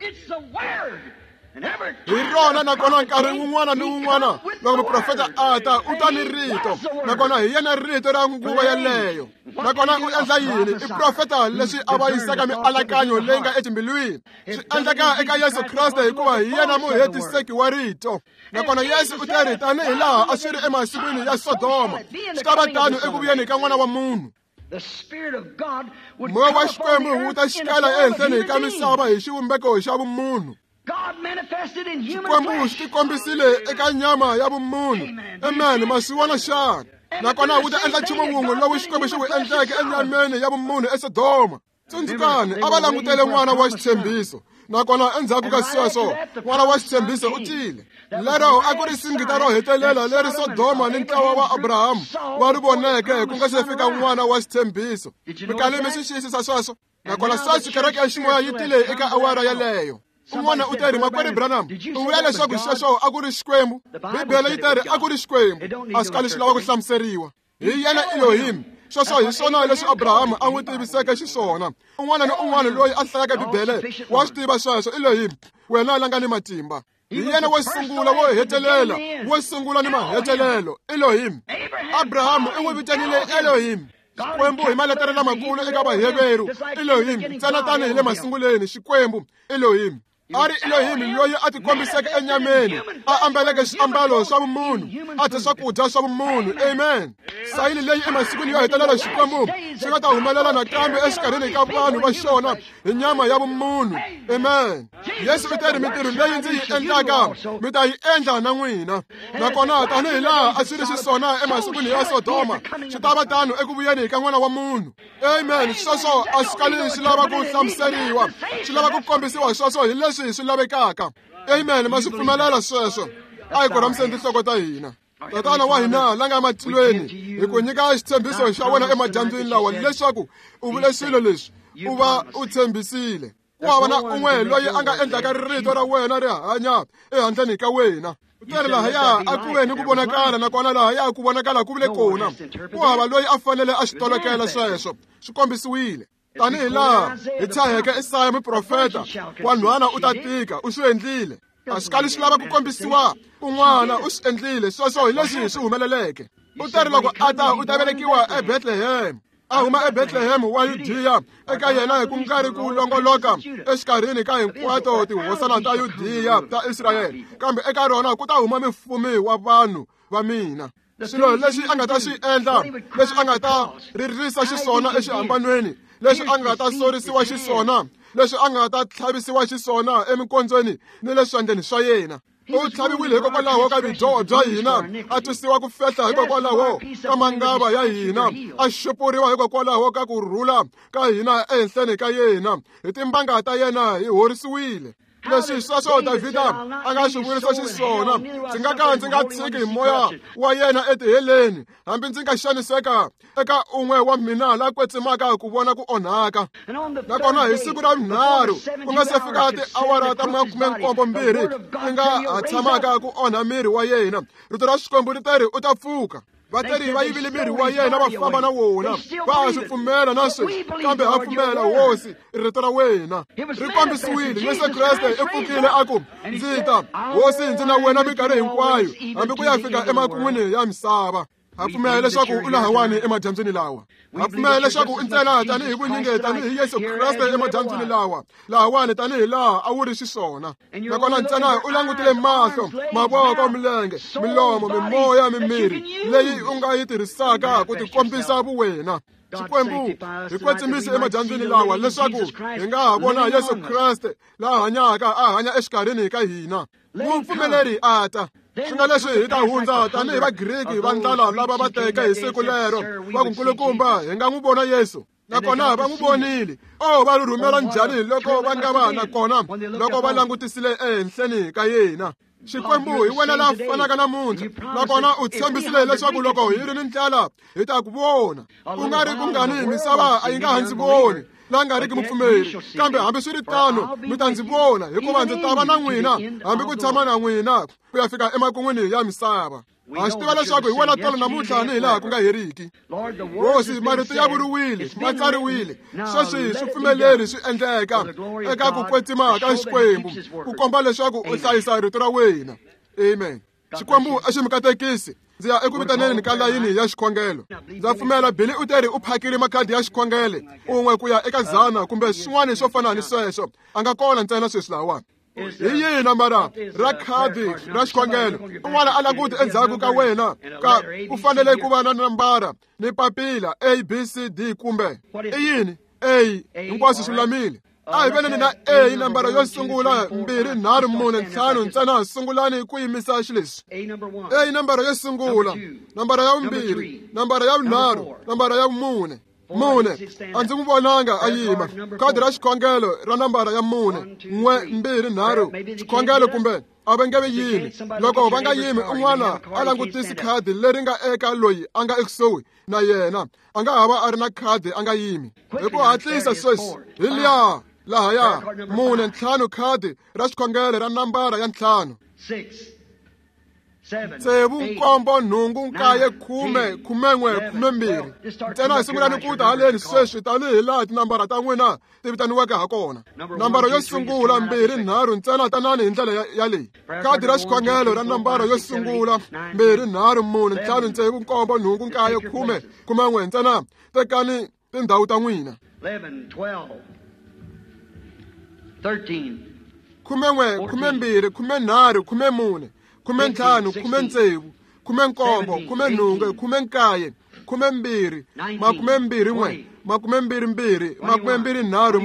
Hi rona, nakona nkarhi wun'wana ni wun'wana loko muprofeta a ta, u ta ni rito, nakona hi yena rito ra nguva yeleyo. Nakona u endla yini? I profeta leswi avanyisaka mianakanyo leyi nga etimbilwini. Swi endleka eka Yesu Kreste hikuva hi yena muhetiseki wa rito. Nakona Yesu u teri, tanihi laha a swi ri emasikwini ya Sodoma, swi ta va tano eku vuyeni ka N'wana wa Munhu. Moya wa Xikwembu wu ta xikela ehenhleni ka misava hi xivumbeko xa vumunhu. Xikwembu xi tikombisile eka nyama ya vumunhu. Amen. Masiwana xana? Nakona wu ta endla nchumu wun'we lowu Xikwembu xi wu endleke enyameni ya vumunhu eSodoma. Tsundzukani, a va langutele n'wana wa xitshembiso. Nakona endzhaku ka sweswo, n'wana wa xitshembiso u tile. Lero a ku ri singita ro hetelela leri Sodoma ni ntlawa wa Abrahamu va ri voneke ku nga se fika n'wana wa xitshembiso. Mi kale mi swi xiyisisa sweswo? Nakona sweswi kereke ya ximoya yi tile eka awara yaleyo. Un'wana u teri, Makwerhu Branham, u vula leswaku sweswo a ku ri Xikwembu. Bibele yi teri a ku ri Xikwembu. A swi kali swi lava ku hlamuseriwa. Hi yena Elohim. Sweswo hi swona leswi Abraham a n'wi tiviseke xiswona. Un'wana ni un'wana loyi a hlayaka Bibele wa swi tiva sweswo. Elohim, wena la nga ni matimba. Hi yena wo sungula, wo hetelela, wo sungula ni mahetelelo. Elohim. Abraham u n'wi vitanile Elohim. Xikwembu hi maletere lamakulu eka Vaheveru. Elohim, ntsena tanihi le masunguleni, Xikwembu Elohim. A ri Elohim loyi a tikombiseke enyameni, a ambeleke swiambalo swa vumunhu, a dya swakudya swa vumunhu. Amen. Sayini leyi emasikwini yo hetelela Xikwembu xi nga ta humelela nakambe exikarhini ka vanhu va xona hi nyama ya vumunhu. Amen. Yesu u teri, mintirho leyi ndzi yi endlaka mi ta yi endla na n'wina. Nakona tanihi laha a swi ri xiswona emasikwini ya Sodoma, swi ta va tano eku vuyeni ka N'wana wa Munhu. Amen. Sweswo a swi kali swi lava ku hlamuseriwa, swi lava ku kombisiwa sweswo hi leswi swi lavekaka. Amen. Ma swi pfumelela sweswo. A hi korhamiseni tinhloko ta hina. Tatana wa hina la nga matilweni, hi ku nyika xitshembiso xa wena emadyambyini lawa leswaku u vule swilo leswi u va u tshembisile. Ku hava na un'we loyi a nga endlaka rito ra wena ri hanya ehandleni ka wena. U teri lahaya a ku ve ni ku vonakala, nakona lahaya ku vonakala ku vile kona. Ku hava loyi a fanele a swi tolokela sweswo. Swi kombisiwile. Tanihi laha hi tshaheke Isaya muprofeta, wanhwana u ta tika, u swi endlile. A swi kali swi lava ku kombisiwa kun'wana, u swi endlile. Sweswo hi leswi swi humeleleke. U teri loko a ta, u ta velekiwa eBethlehem. A huma eBethlehem wa Yudiya, eka yena hi ku nga ri ku longoloka exikarhini ka hinkwato tihosana ta Yudiya ta Israyele, kambe eka rona ku ta huma mufumi wa vanhu va mina. Swilo leswi a nga ta swi endla, leswi a nga ta ririsa xiswona exihambanweni, leswi a nga ta sorisiwa xiswona, leswi a nga ta tlhavisiwa xiswona eminkondzweni ni le swandleni swa yena. U tlhaviwile hikokwalaho ka vudyoho bya hina, a twisiwa ku fehla hikokwalaho ka mangava ya hina, a xupuriwa hikokwalaho ka ku rhula ka hina ehenhleni ka yena. Hi timbanga ta yena hi horisiwile. Leswi sweswo Davhida a nga swi vurisa xiswona, ndzi nga ka ndzi nga tshiki moya wa yena etiheleni, hambi ndzi nga xaniseka eka un'we wa mina la kwetsimaka ku vona ku onhaka. Nakona hi siku ra vunharhu, ku nga se fika tiawara ta 72 ti nga ha tshamaka ku onha miri wa yena, rito ra Xikwembu ri teri u ta pfuka. Vateri va yivile miri wa yena va famba na wona. Va ha swi pfumela na sweswi, kambe ha pfumela, Hosi, rito ra wena ri kombisiwile. Yesu Kreste i pfukile a ku, ndzi ta, Hosi, ndzi na wena minkarhi hinkwayo, hambi ku ya fika emakun'wini ya misava. Ha pfumela leswaku u lahawani emadyambyini lawa. Ha pfumela leswaku u ntsena tanihi vunyingi tanihi Yesu Kreste emadyambyini lawa, lahawani tanihi laha a wu ri xiswona. Nakona ntsena u langutile mahlo, mavoko, milenge, milomo, mimoya, mimiri leyi u nga yi tirhisaka ku tikombisa vuwena. Xikwembu hi kwetsimise emadyambyini lawa leswaku hi nga ha vona Yesu Kreste la hanyaka a hanya exikarhini ka hina. Mupfumeleri a ta. Swi nga leswi hi ta hundza tanihi Vagriki va ndlala lava va teke hi siku lero va ku, nkulukumba, hi nga n'wi vona Yesu. Nakona va n'wi vonile. Oh, va rhumela njhani loko va nga va nakona loko va langutisile ehenhleni ka yena. Xikwembu hi wena la fanaka namuntlha, nakona u tshembisile leswaku loko hi ri ni ndlala hi ta ku vona. Ku nga ri kungani misava a yi nga ha ndzi voni, la nga riki mupfumeri, kambe hambi swi ri tano mi ta ndzi vona, hikuva ndzi ta va na n'wina hambi ku tshama na n'wina ku ya fika emakun'wini ya misava. Ha swi tiva leswaku hi wena tolo namuntlha ni hi laha ku nga heriki. Hosi, marito ya vuriwile, ma tsariwile. Sweswi swi pfumeleri swi endleka eka ku kwetsima ka Xikwembu, ku komba leswaku u hlayisa rito ra wena. Amen. Xikwembu a xi mi katekisi. Ndzi ya eku vitaneni ka layini ya xikhongelo. Ndza pfumela Billy u teri u phakile makhadi ya xikhongelo un'we ku ya eka 100 kumbe swin'wana swo fana ni sweswo. A nga kona ntsena sweswi lahawani. Hi yihi nambara ra khadi ra xikhongelo? Un'wana a languti endzhaku ka wena, ka ku fanele ku va na nambara ni papila A, B, C, D kumbe i yini? A, hinkwaswo swi lulamile. A hi veneni na A, nambara yo sungula, 2 3 4 5 ntsena. Sungulani ku yimisa xileswi. A, nambara yo sungula, nambara ya vumbirhi, nambara ya vunharhu, nambara ya vumune. Mune, a ndzi n'wi vonanga a yima. Khadi ra xikhongelo ra nambara ya 4, 1 2 3, xikhongelo kumbe A va nge yimi. Loko va nga yimi, un'wana a langutisi khadi leri nga eka loyi a nga ekusuhi na yena. A nga ha va a ri na khadi a nga yimi. Hi ku hatlisa sweswi, hi liya lahaya 4 5 khadi ra xikhongelo ra nambara ya 5. 6 7 6 7 8 9 10 11 12. Ntsena hi sungulani ku ta haleni sweswi tanihi laha tinambara ta n'wina ti vitaniweke ha kona. Nambara yo sungula 2 3 ntsena tanani hi ndlela ya leyi. Khadi ra xikhongelo ra nambara yo sungula 2 3 4 5 6 7 8 9 10 11 ntsena tekani tindhawu ta n'wina. 11 12 13 11 12 13 14 15 16 17 18 19 20 21 22 23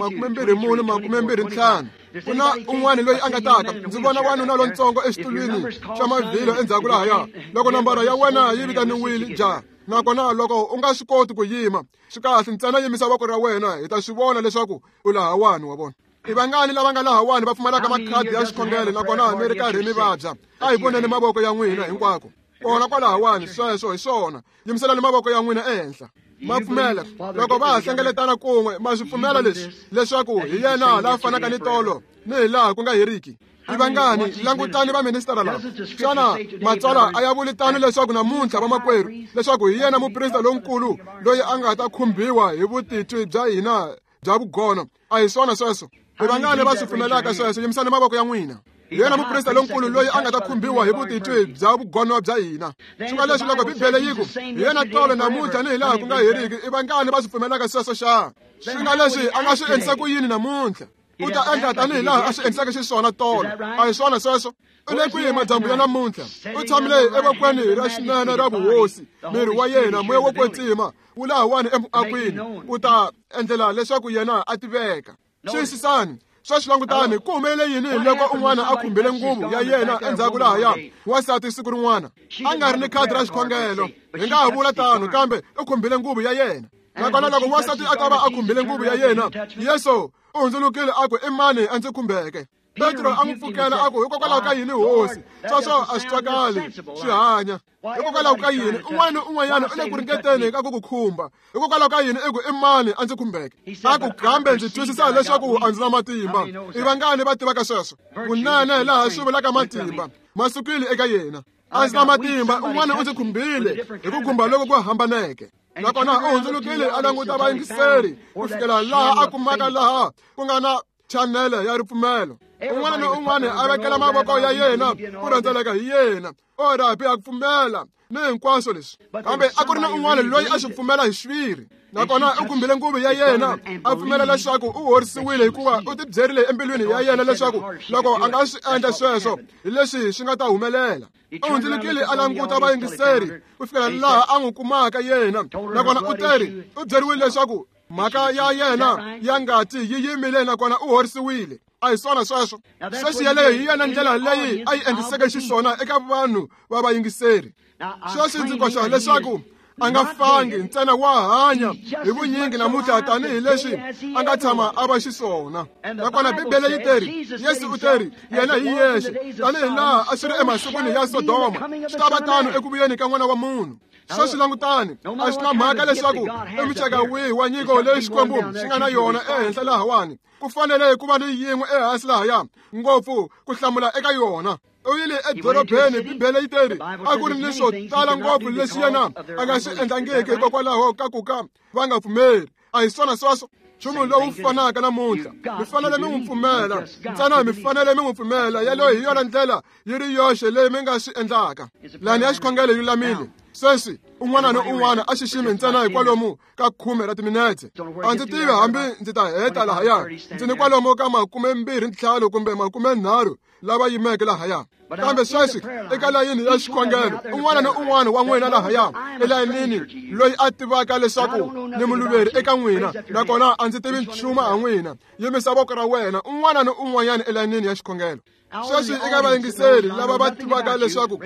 24 25. Ku na un'wana loyi a nga taka. Ndzi vona wanuna lontsongo exitulwini xa mavhilo endzhaku lahaya. Loko nambara ya wena yi vitaniwile ja, nakona loko u nga swi koti ku yima, swi kahle, ntsena yimisa voko ra wena, hi ta swi vona leswaku u lahawani, wa vona. I vangani lava nga lahawani va pfumalaka makhadi ya xikhongelo nakona mi ri karhi mi vabya? A hi voneni mavoko ya n'wina hinkwako. Kona kwalahawani, sweswo hi swona. Yimiselani mavoko ya n'wina ehenhla. Ma pfumela loko va ha hlengeletana kun'we, ma swi pfumela leswi leswaku hi yena la fanaka ni tolo ni hi laha ku nga heriki. I vangani langutani va ministara lava? Xana matsalwa a ya vuli tano leswaku namuntlha vamakwerhu leswaku hi yena muprista lonkulu loyi a nga ta khumbiwa hi vutitwi bya hina bya vugono? A hi swona sweswo? I vangani va swi pfumelaka sweswo? Yimisani mavoko ya n'wina. Hi yena muprista lonkulu loyi a nga ta khumbiwa hi vutitwi bya vugono bya hina. Swi nga leswi loko Bibele yi ku hi yena tolo namuntlha ni hi laha ku nga heriki, i vangani va swi pfumelaka sweswo xa? Swi nga leswi a nga swi endlisa ku yini namuntlha? U ta endla tanihi laha a swi endlisaka xiswona tolo. A hi swona sweswo? U le kwihi madyambu ya namuntlha? U tshamile evokweni ra xinene ra vuhosi. Miri wa yena, moya wo kwetsima, wu lahawani emuakwini, u ta endlela leswaku yena a tiveka. Xiyisisani. Sweswi langutani, ku humelele yini loko un'wana a khumbile nguvu ya yena endzhaku lahaya wansati siku rin'wana? A nga ri ni khadi ra xikhongelo, hi nga ha vula tano, kambe u khumbile nguvu ya yena. Nakona loko wansati a ta va a khumbile nguvu ya yena, Yesu u hundzulukile a ku, i mani a ndzi khumbeke? Petro a n'wi pfukela a ku, hikokwalaho ka yini hosi? Sweswo a swi twakali swi hanya. Hikokwalaho ka yini un'wana ni un'wanyana u le ku ringeteni ka ku ku khumba? Hikokwalaho ka yini i ku i mani a ndzi khumbeke? A ku, kambe ndzi twisisa leswaku a ndzi na matimba. I vangani va tivaka sweswo? Kunene laha swi vulaka matimba ma sukile eka yena. A ndzi na matimba, un'wana u ndzi khumbile hi ku khumba loko ku hambaneke. Nakona u hundzulukile a languta vayingiseri ku fikela laha a kumaka laha ku nga na chanele ya ripfumelo. Un'wana ni un'wana a vekela mavoko ya yena ku rhendzeleka hi yena. O rabi a pfumela ni hinkwaswo leswi, kambe a ku ri na un'wana loyi a swi pfumela hi xiviri. Nakona u khumbile nguvu ya yena, a pfumela leswaku u horisiwile, hikuva u tibyerile embilwini ya yena leswaku loko a nga swi endla sweswo hi leswi swi nga ta humelela. U hundzulukile a languta vayingiseri ku fikela laha a n'wi kumaka yena. Nakona u teri, u byeriwile leswaku mhaka ya yena ya ngati yi yimile, nakona u horisiwile. A hi swona sweswo? Sweswi yeleyo hi yona ndlela leyi a yi endliseke xiswona eka vanhu va vayingiseri. Sweswi ndzi koxa leswaku a nga fangi, ntsena wa hanya hi vunyingi namuntlha tanihi leswi a nga tshama a va xiswona. Nakona Bibele yi teri, Yesu u teri, yena hi yexe, tanihi laha a swi ri emasikwini ya Sodoma, swi ta va tano eku vuyeni ka N'wana wa Munhu. Sweswi langutani, a swi na mhaka leswaku i muxaka wihi wa nyiko leyi Xikwembu xi nga na yona ehenhla lahawani. Ku fanele ku va ni yin'we ehansi lahaya ngopfu ku hlamula eka yona. U yile edorobeni, Bibele yi teri a ku ri ni swo tala ngopfu leswi yena a nga swi endlangiki hikokwalaho ka ku ka va nga pfumeli. A hi swona sweswo? Nchumu lowu fanaka namuntlha, mi fanele mi n'wi pfumela ntsena, mi fanele mi n'wi pfumela. Yeleyo hi yona ndlela yi ri yoxe leyi mi nga swi endlaka. Lani ya xikhongelo yi lulamile. Sweswi un'wana ni un'wana a xiximi ntsena hi kwalomu ka 10 ra timinetse. A ndzi tivi hambi ndzi ta heta lahaya. Ndzi ni kwalomu ka 25 kumbe 30 lava yimeke lahaya. Kambe sweswi eka layini ya xikhongelo, un'wana ni un'wana wa n'wina lahaya elayinini loyi a tivaka leswaku ni muluveri eka n'wina, nakona a ndzi tivi nchumu ha n'wina, yimisa voko ra wena. Un'wana ni un'wanyana elayinini ya xikhongelo. Sweswi eka vayingiseri lava va tivaka leswaku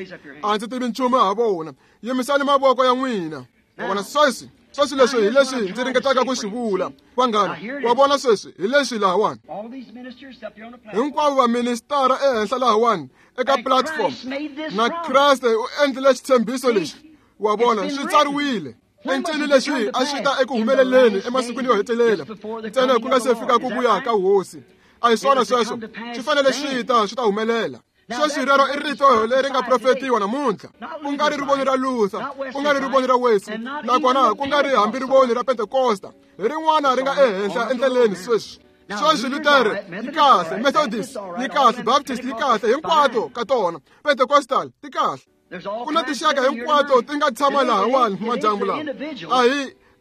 a ndzi tivi nchumu ha vona, yimisani mavoko ya n'wina. Wa vona sweswi, sweswi leswi hi leswi ndzi ringetaka ku swi vula. Vanghana, wa vona sweswi hi leswi lahawani. Hinkwavo vaministara ehenhla lahawani eka platform na Kreste u endlile xitshembiso lexi wa vona swi tsariwile encini lexi a swi ta eku humeleleni emasikwini yo hetelela ntsena ku nga se fika ku vuya ka hosi a hi swona sweswo swi fanele swi ta swi ta humelela sweswi rero i rito leri nga profetiwa namuntlha ku nga ri rivoni ra Luther ku nga ri rivoni ra Wesley nakona ku nga ri hambi rivoni ra Pentecosta hi rin'wana ri nga ehenhla endleleni sweswi sweswi Luther yi kahle Methodist yi kahle Baptist yi kahle hinkwato ka tona Pentecostal ti kahle ku na tinxaka hinkwato ti nga tshama lahawani madyambu lawa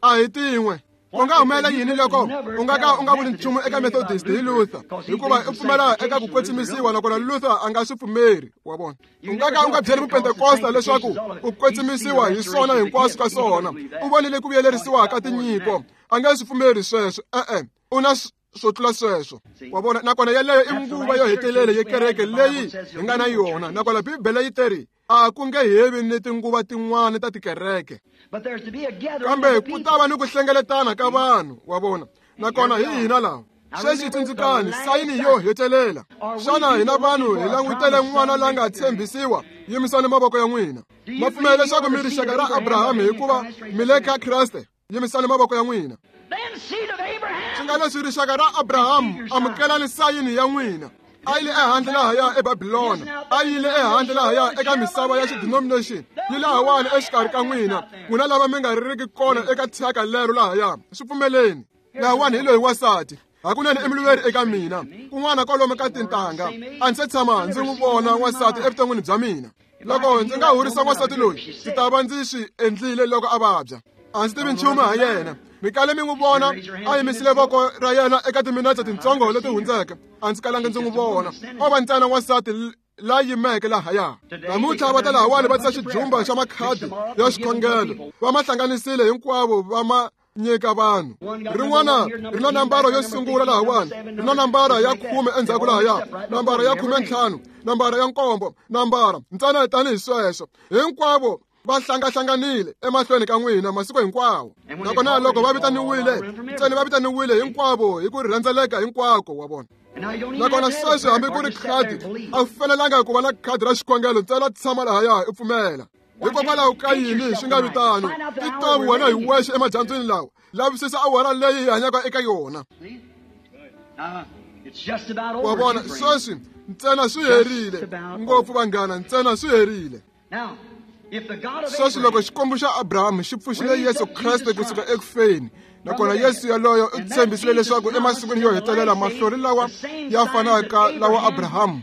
a hi tin'we ku nga humelela yini loko u nga ka u nga vuli nchumu eka Methodist hi Luther hikuva u pfumela eka ku kwetsimisiwa nakona Luther a nga swi pfumeri wa vona u nga ka u nga byeli mupentekosta leswaku ku kwetsimisiwa hi swona hinkwaswo ka swona u vonile ku vuyelerisiwa ka tinyiko a nga swi pfumeri sweswo e-e u na swo tlula sweswo wa vona nakona yeleyo i nguva yo hetelela ya kereke leyi hi nga na yona nakona Bibele yi teri a ku nge hevi ni tinguva tin'wana ta tikereke kambe ku ta va ni ku hlengeletana ka vanhu wa vona nakona hi hina lawa sweswi tsundzukani sayini yo hetelela xana hina vanhu hi langutele n'wana la nga tshembisiwa yimisani mavoko ya n'wina ma pfumela leswaku mi rixaka ra Abrahamu hikuva mi le ka Kreste yimisani mavoko ya n'wina swi nga leswi rixaka ra Abrahamu amukelani sayini ya n'wina a yile ehandle lahaya eBabilona a yile ehandle lahaya eka misava ya xidenomination yi lahawani exikarhi ka n'wina n'wina lava mi nga ririki kona eka thyaka lero lahaya swi pfumeleni lahawani hi loyi wansati hakunene i muluveri eka mina kun'wana kwalomu ka tintangha a ndzi se tshama ndzi n'wi vona wansati evuton'wini bya mina loko ndzi nga horisa wansati loyi ndzi ta va ndzi swi endlile loko a vabya a ndzi tivi nchumu ha yena mi kale mi n'wi vona a yimisile voko ra yena eka timinetse tintsongo leti hundzeke a ndzi kalanga ndzi n'wi vona o va ntsena wansati la yimeke lahaya namuntlha va ta lahawani va tisa xijumba xa makhadi ya xikhongelo va ma hlanganisile hinkwavo va ma nyika vanhu rin'wana ri na nambara yo sungula lahawani ri na nambara ya 10 endzhaku lahaya nambara ya 15 nambara ya 7 nambara ntsena tanihi sweswo hinkwavo va hlangahlanganile emahlweni ka n'wina masiku hinkwawo nakona loko va vitaniwile ntsena va vitaniwile hinkwavo hi ku rhendzeleka hinkwako wa vona nakona sweswi hambi ku ri khadi a wu fanelanga ku va na khadi ra xikhongelo ntsena tshama lahaya u pfumela hikokwalaho ka yini swi nga vitano ti tovi wena hi wexe emadyambyini lawa lavisisa awara leyi hi hanyaka eka yona wa vona sweswi ntsena swi herile ngopfu vanghana ntsena swi herile sweswi loko xikwembu xa Abrahamu xi pfuxile Yesu Kreste kusuka ekufeni nakona Yesu yaloyo u tshembisile leswaku emasikwini yo hetelela mahlori lawa ya fanaka lawa Abrahamu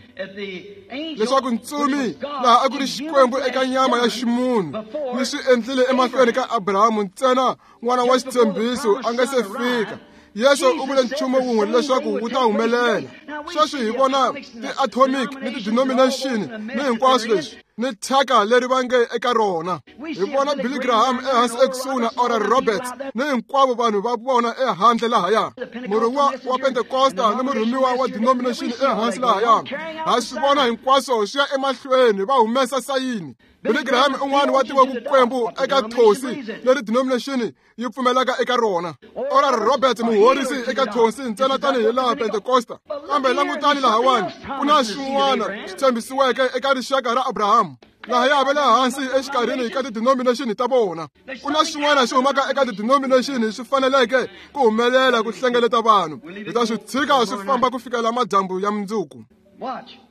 leswaku ntsumi laha a ku ri xikwembu eka nyama ya ximunhu yi swi endlile emahlweni ka Abrahamu ntsena n'wana wa xitshembiso a nga se fika Yesu u vule nchumu wun'we leswaku wu ta humelela sweswi hi vona ti-atomic ni ti-denomination ni hinkwaswo leswi ni thyaka leri va nge eka rona hi vona Billy Graham ehansi ekusuhi na Oral Roberts ni hinkwavo vanhu va vona ehandle lahaya murhumiwa wa Pentecosta ni murhumiwa wa denomination ehansi lahaya ha swi vona hinkwaswo swi ya emahlweni va humesa sayini Billy Graham un'wana wa tiva vukwembu eka thosi leri denomination yi pfumelaka eka rona Oral Roberts muhorisi eka thosi ntsena tanihi laha Pentecosta kambe langutani lahawani ku na swin'wana swi tshembisiweke eka rixaka ra Abrahamu lahaya va le hansi exikarhini ka ti-denomination ta vona ku na swin'wana swi humaka eka ti-denomination swi faneleke ku humelela ku hlengeleta vanhu hi ta swi tshika swi famba ku fikela madyambu ya mundzuku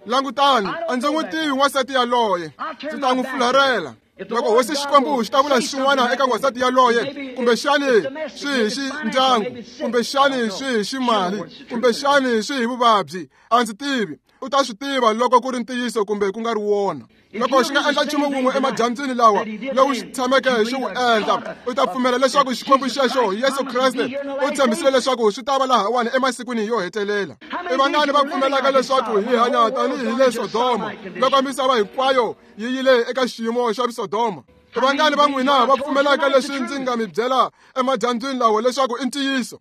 langutani a ndzi n'wi tivi n'wansati yaloye ndzi ta n'wi fularhela loko hosi xikwembu xi ta vula xin'wana eka n'wansati yaloye kumbexani swi hi xi ndyangu kumbexani swi hi ximali kumbexani swi hi vuvabyi a ndzi tivi u ta swi tiva loko ku ri ntiyiso kumbe ku nga ri wona loko xi nga endla nchumu wun'we emadyambyini lawa lowu xi tshameke xi wu endla u ta pfumela leswaku xikwembu xexo Yesu Kreste u tshembisile leswaku swi ta va lahawani emasikwini yo hetelela i vangani va pfumelaka leswaku hi hanya tanihi le Sodoma loko misava hinkwayo yi yile eka xiyimo xa Sodoma i vangani va n'wina va pfumelaka leswi ndzi nga mi byela emadyambyini lawa leswaku i ntiyiso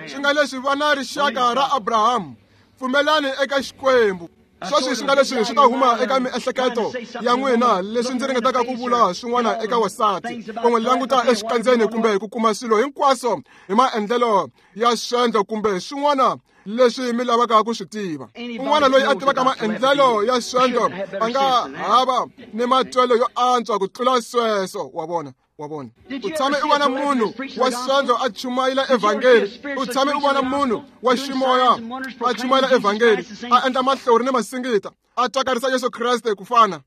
swi nga leswi vana rixaka ra Abrahamu pfumelani eka xikwembu sweswi swi nga leswi swi ta huma eka miehleketo ya n'wina leswi ndzi ringetaka ku vula swin'wana eka wasati ku n'wi languta exikandzeni kumbe ku kuma swilo hinkwaswo hi maendlelo ya swendlo kumbe swin'wana leswi mi lavaka ku swi tiva. Un'wana loyi a tivaka maendlelo ya swendlo a nga hava ni matwelo yo antswa ku tlula sweswo. Wa vona, wa vona. U tshame u vona munhu wa swendlo a chumayela evhangeli, u tshame u vona munhu wa ximoya a chumayela evhangeli, a endla mahlori ni masingita, a twakarisa Yesu Kreste ku fana.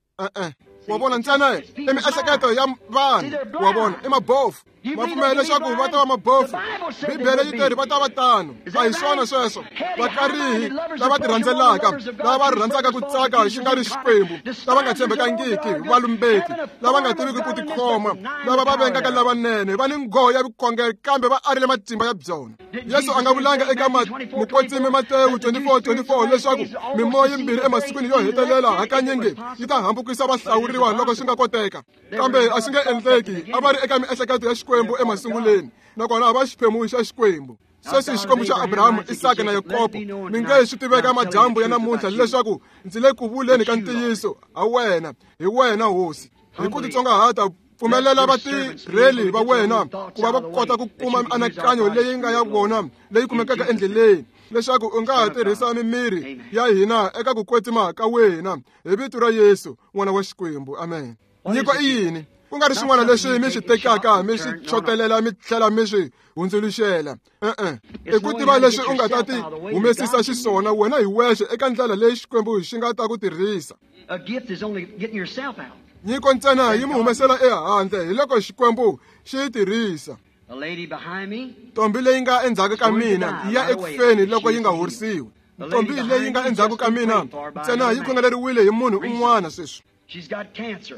Wa vona, ntsena i miehleketo ya vanhu. Wa vona, i mabofu. Va pfumela leswaku va ta va mabofu. Bibele yi teri va ta va tano. A hi swona sweswo. Vakarihi lava ti rhandzelaka, lava va rhandzaka ku tsaka xi nga ri Xikwembu, lava nga tshembekangiki, valumbeti, lava nga tiviki ku tikhoma, lava va vengaka lavanene, va ni nghoho ya vukhongeri kambe va arile matimba ya byona. Yesu a nga vulanga eka mukwetsimi Matewu 24:24 leswaku mimoya yimbirhi emasikwini yo hetelela hakanyingi yi ta hambukisa vahlawuriwa loko swi nga koteka, kambe a swi nge endleki. A va ri eka miehleketo ya Xikwembu emasunguleni, nakona a va xiphemu xa Xikwembu. Sweswi Xikwembu xa Abrahamu, Isaka na Yakobo, mi nge swi tiveka madyambu ya namuntlha leswaku ndzi le ku vuleni ka ntiyiso ha wena, hi wena Hosi. Hi ku titsongahata pfumelela vatirheli va wena ku va va kota ku kuma mianakanyo leyi nga ya vona leyi kumekaka endleleni, leswaku u nga ha tirhisa mimiri ya hina eka ku kwetsima ka wena, hi vito ra Yesu n'wana wa Xikwembu. Amen. Nyiko i yini? Ku nga ri swin'wana leswi mi swi tekaka mi swi chotelela mi tlhela mi swi hundzuluxela. E-e, i ku tiva leswi u nga ta ti humesisa xiswona wena hi wexe eka ndlela leyi Xikwembu xi nga ta ku tirhisa. Nyiko ntsena yi mi humesela ehandle hi loko Xikwembu xi yi tirhisa. Ntombi leyi nga endzhaku ka mina yi ya ekufeni loko yi nga horisiwi. Ntombi leyi nga endzhaku ka mina ntsena yi khongeleriwile hi munhu un'wana sweswi.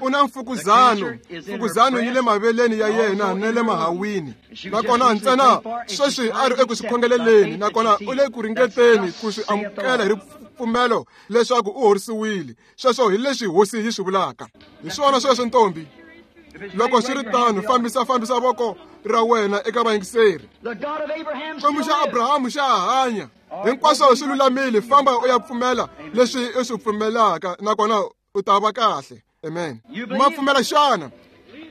U na mfukuzano. Mfukuzano yi le maveleni ya yena na le mahawini, nakona ntsena sweswi a ri eku swi khongeleleni, nakona u le ku ringeteni ku swi amukela hi ripfumelo leswaku u horisiwile. Sweswo hi leswi Hosi yi swi vulaka. Hi swona sweswo, ntombi. Loko swi ri tano, fambisa voko ra wena eka vayingiseri. Xikwembu xa Abrahamu xa hanya. Hinkwaswo swi lulamile. Famba u ya pfumela leswi u swi pfumelaka, nakona u ta va kahle. Amen. Ma pfumela xana?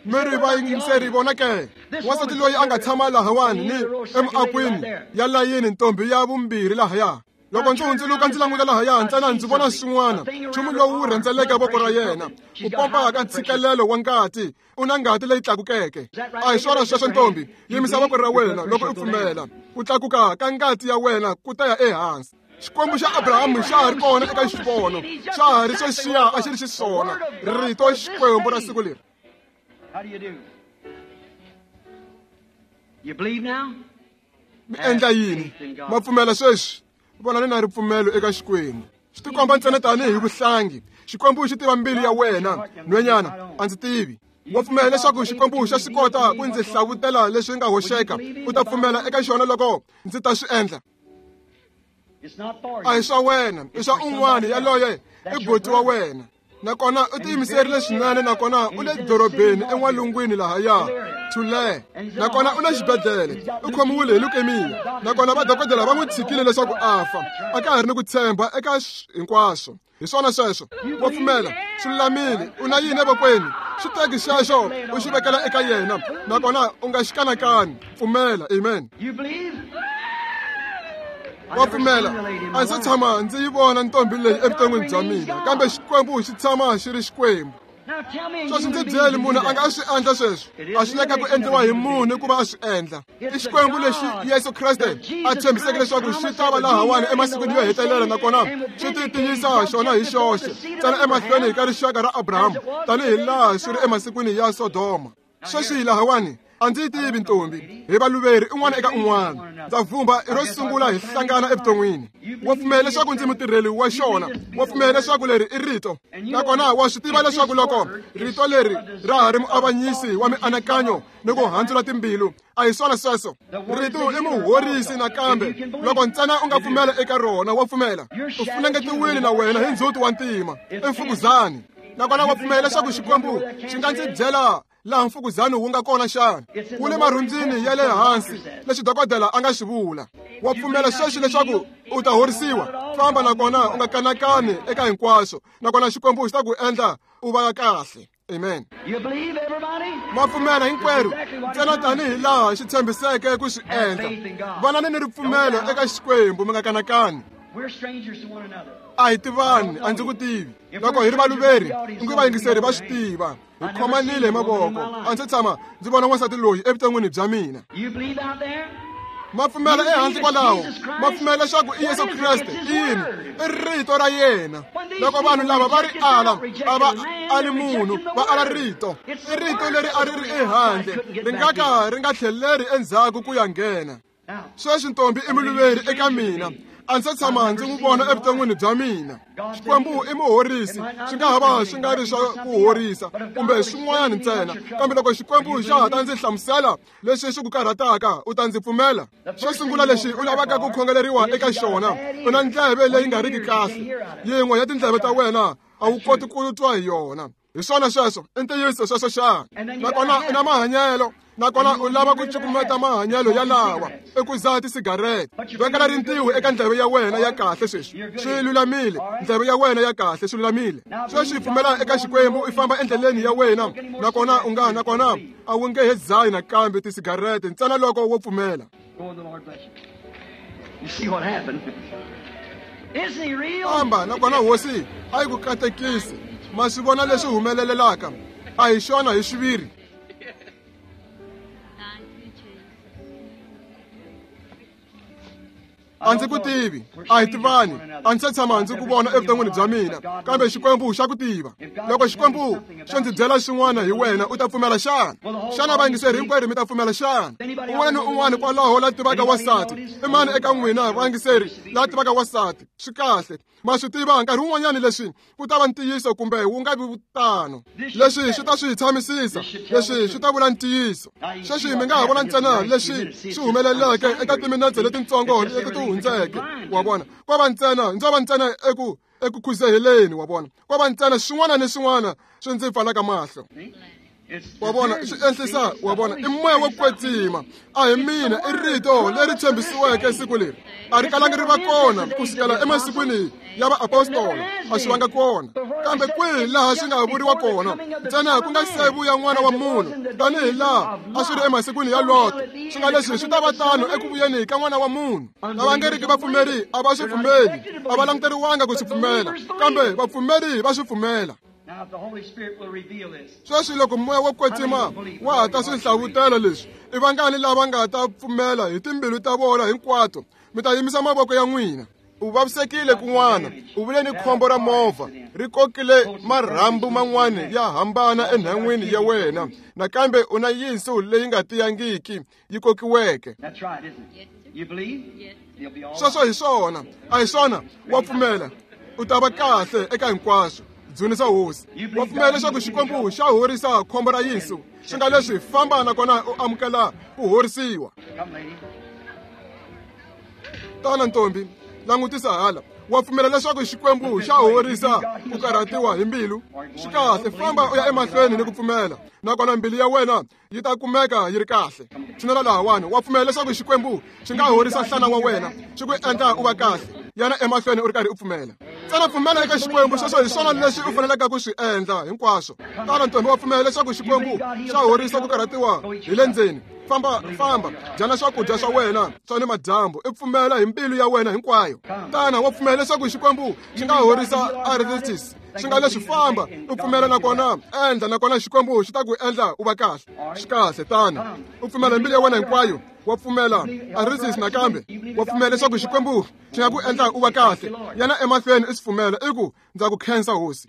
Mi ri vayingiseri vona ke? Wansati loyi a nga tshama lahawani ni emiakwini ya layini, ntombi ya vumbirhi lahaya. Loko ndzi hundzuluka ndzi languta lahaya, ntsena ndzi vona swin'wana, nchumu lowu wu rhendzeleke voko ra yena, ku pompa ka ntshikelelo wa ngati. U na ngati leyi tlakukeke. A hi swona sweswo, ntombi? Yimisa voko ra wena loko u pfumela. Ku tlakuka ka ngati ya wena ku ta ya ehansi. Xikwembu xa Abrahamu xa ha ri kona eka xivono, xa ha ri xexiya a xi ri xiswona, rito Xikwembu ra siku leri. Mi endla yini? Ma pfumela sweswi? Vonani na ripfumelo eka Xikwembu. Swi tikomba ntsena tanihi vuhlangi. Xikwembu xi tiva mbilu ya wena. Nhwenyana, a ndzi tivi. Wa pfumela leswaku Xikwembu xa swi kota ku ndzi hlavutela leswi nga hoxeka? U ta pfumela eka xona loko ndzi ta swi endla? A hi swa wena, i swa un'wana. Yaloye i buti wa wena, nakona u tiyimiserile swinene, nakona u le dorobeni en'walungwini lahaya Thule, nakona u le xibedhlele, u khomiwile hi leukemia, nakona vadokodela va n'wi tshikile leswaku a fa. A ka ha ri ni ku tshemba eka hinkwaswo. Hi swona sweswo. Wa pfumela? Swi lulamile. U na yini evokweni? Xi teki xexo u xi vekela eka yena, nakona u nga xi kanakani. Pfumela. Amen. Wa pfumela? A ndzi tshama ndzi yi vona ntombi leyi evuton'wini bya mina, kambe Xikwembu xi tshama xi ri Xikwembu. Sweswi ndzi byeli, munhu a nga swi endla sweswo? A swi leka ku endliwa hi munhu ku va a swi endla. I Xikwembu lexi Yesu Kreste a tshembiseke leswaku xi ta va lahawani emasikwini yo hetelela, nakona xi ti tiyisa xona hi xoxe ntsena emahlweni ka rixaka ra Abrahamu, tanihi laha swi ri emasikwini ya Sodoma. Sweswi lahawani a ndzi yi tivi ntombi, hi valuveri un'wana eka un'wana. Ndza vhumba i ro sungula hi hlangana evuton'wini. Wa pfumela leswaku ndzi mutirheli wa xona? Wa pfumela leswaku leri i rito? Nakona wa swi tiva leswaku loko rito leri ra ha ri muavanyisi wa mianakanyo ni ku handzula timbilu, a hi swona sweswo? Rito i muhorisi nakambe, loko ntsena u nga pfumela eka rona. Wa pfumela? U funengetiwile na wena hi ndzhuti wa ntima, i mfukuzani. Nakona wa pfumela leswaku Xikwembu xi nga ndzi byela laha mfukuzani wu nga kona xana? Wu le marhundzini ya le hansi, leswi dokodela a nga swi vula. Wa pfumela sweswi leswaku u ta horisiwa? Famba, nakona u nga kanakani eka hinkwaswo, nakona Xikwembu xi ta ku endla u va kahle. Amen. Ma pfumela hinkwerhu ntsena tanihi laha xi tshembiseke ku swi endla. Vanani ni ripfumelo eka Xikwembu, mi nga kanakani. A hi tivani, a ndzi ku tivi. Loko hi ri valuveri, ingi vayingiseri va swi tiva. Hi khomanile hi mavoko. A ndzi tshama ndzi vona n'wansati loyi evuton'wini bya mina. Ma pfumela ehansi kwalaho, ma pfumela leswaku i Yesu Kreste. I yini? I rito ra yena. Loko vanhu lava va ri ala, a va ali munhu, va ala rito. I rito leri a ri ri ehandle, ri nga ka ri nga tlheleri endzhaku ku ya nghena. Sweswi ntombi i muluveri eka mina. A ndzi se tshama ndzi n'wi vona evuton'wini bya mina. Xikwembu i muhorisi, swi nga ha va swi nga ri swa ku horisa kumbe swin'wanyana ntsena, kambe loko Xikwembu xa ha ta ndzi hlamusela leswi swi ku karhataka, u ta ndzi pfumela. Xo sungula lexi u lavaka ku khongeleriwa eka xona, u na ndleve leyi nga riki kahle. Yin'we ya tindleve ta wena a wu koti ku twa hi yona. Hi swona sweswo, i ntiyiso sweswo xana? Nakona u na mahanyelo, nakona u lava ku cukumeta mahanyelo yalawa i ku dzaha tisigarete. Vekela rintiho eka ndleve ya wena ya kahle sweswi. Swi lulamile, ndleve ya wena ya kahle, swi lulamile. Sweswi pfumela eka Xikwembu, i famba endleleni ya wena, nakona u nga, nakona a wu nge he dzahi nakambe tisigarete ntsena loko wo pfumela. Famba, nakona Hosi a yi ku katekisi. Ma swi vona leswi humelelelaka? A hi xona hi xiviri. A ndzi ku tivi, a hi tivani, a ndzi se tshama ndzi ku vona evuton'wini bya mina, kambe Xikwembu xa ku tiva. Loko Xikwembu xo ndzi byela swin'wana hi wena, u ta pfumela xana? Xana vayingiseri hinkwerhu mi ta pfumela xana? Un'wana ni un'wana kwalaho la tivaka wansati, i mani eka n'wina vayingiseri la tivaka wansati? Swi kahle. Ma swi tiva, nkarhi wun'wanyana leswi ku ta va ntiyiso kumbe wu nga vi tano. Leswi swi ta swi tshamisisa, leswi swi ta vula ntiyiso. Sweswi mi nga ha vona ntsena leswi swi humeleleke eka timinetse letintsongo leti ti hundzeke. Wa vona, ko va ntsena, ndzo va ntsena eku eku khuzeheleni, wa vona, ko va ntsena swin'wana ni swin'wana swi ndzi pfalaka mahlo. Wa vona, swi enhlisa, wa vona, i moya wo kwetsima. A hi mina, i rito leri tshembisiweke siku leri. A ri kalangi ri va kona ku sukela emasikwini ya vaapostola, a swi vanga kona. Kambe kwihi laha swi nga vuriwa kona, ntsena ku nga se vuya N'wana wa Munhu, tanihi laha a swi ri emasikwini ya Loto, swi nga leswi swi ta va tano eku vuyeni ka N'wana wa Munhu. Lava nga riki vapfumeri a va swi pfumeli, a va languteriwanga ku swi pfumela, kambe vapfumeri va swi pfumela. Sweswi loko moya wo kwetsima wa ha ta swi hlavutela leswi, i vangani lava nga ta pfumela hi timbilu ta vona hinkwato? Mi ta yimisa mavoko ya n'wina. U vavisekile kun'wana, u vule ni khombo ra movha ri kokile marhambu man'wana ya hambana enhan'wini ya wena. Nakambe u na yinsu leyi nga tiyangiki yi kokiweke. Sweswo hi swona, a hi swona? Wa pfumela, u ta va kahle eka hinkwaswo. Dzunisa Hosi. Wa pfumela leswaku Xikwembu xa horisa khombo ra yinsu, swi nga leswi famba nakona u amukela ku horisiwa. Tana ntombi, langutisa hala. Wa pfumela leswaku Xikwembu xa horisa ku karhatiwa hi mbilu? Swi kahle, famba u ya emahlweni ni ku pfumela, nakona mbilu ya wena yi ta kumeka yi ri kahle. Tshinela lahawani. Wa pfumela leswaku Xikwembu xi nga horisa nhlana wa wena, xi ku endla u va kahle? Yana emahlweni u ri karhi u pfumela. Ntsena pfumela eka Xikwembu, sweswo hi swona leswi u faneleke ku swi endla hinkwaswo. Tana ntombi, wa pfumela leswaku Xikwembu xa horisa ku karhatiwa hi le ndzeni? Famba, famba, dyana swakudya swa wena swa ni madyambu, i pfumela hi mbilu ya wena hinkwayo. Tana, wa pfumela leswaku Xikwembu xi nga horisa arthritis? Swi nga leswi, famba u pfumela nakona endla, nakona Xikwembu xi ta ku endla u va kahle. Swi kahle, tana u pfumela hi mbilu ya wena hinkwayo. Wa pfumela arthritis nakambe? Wa pfumela leswaku Xikwembu xi nga ku endla u va kahle? Yana emahlweni u swi pfumela, i ku ndza ku khensa Hosi.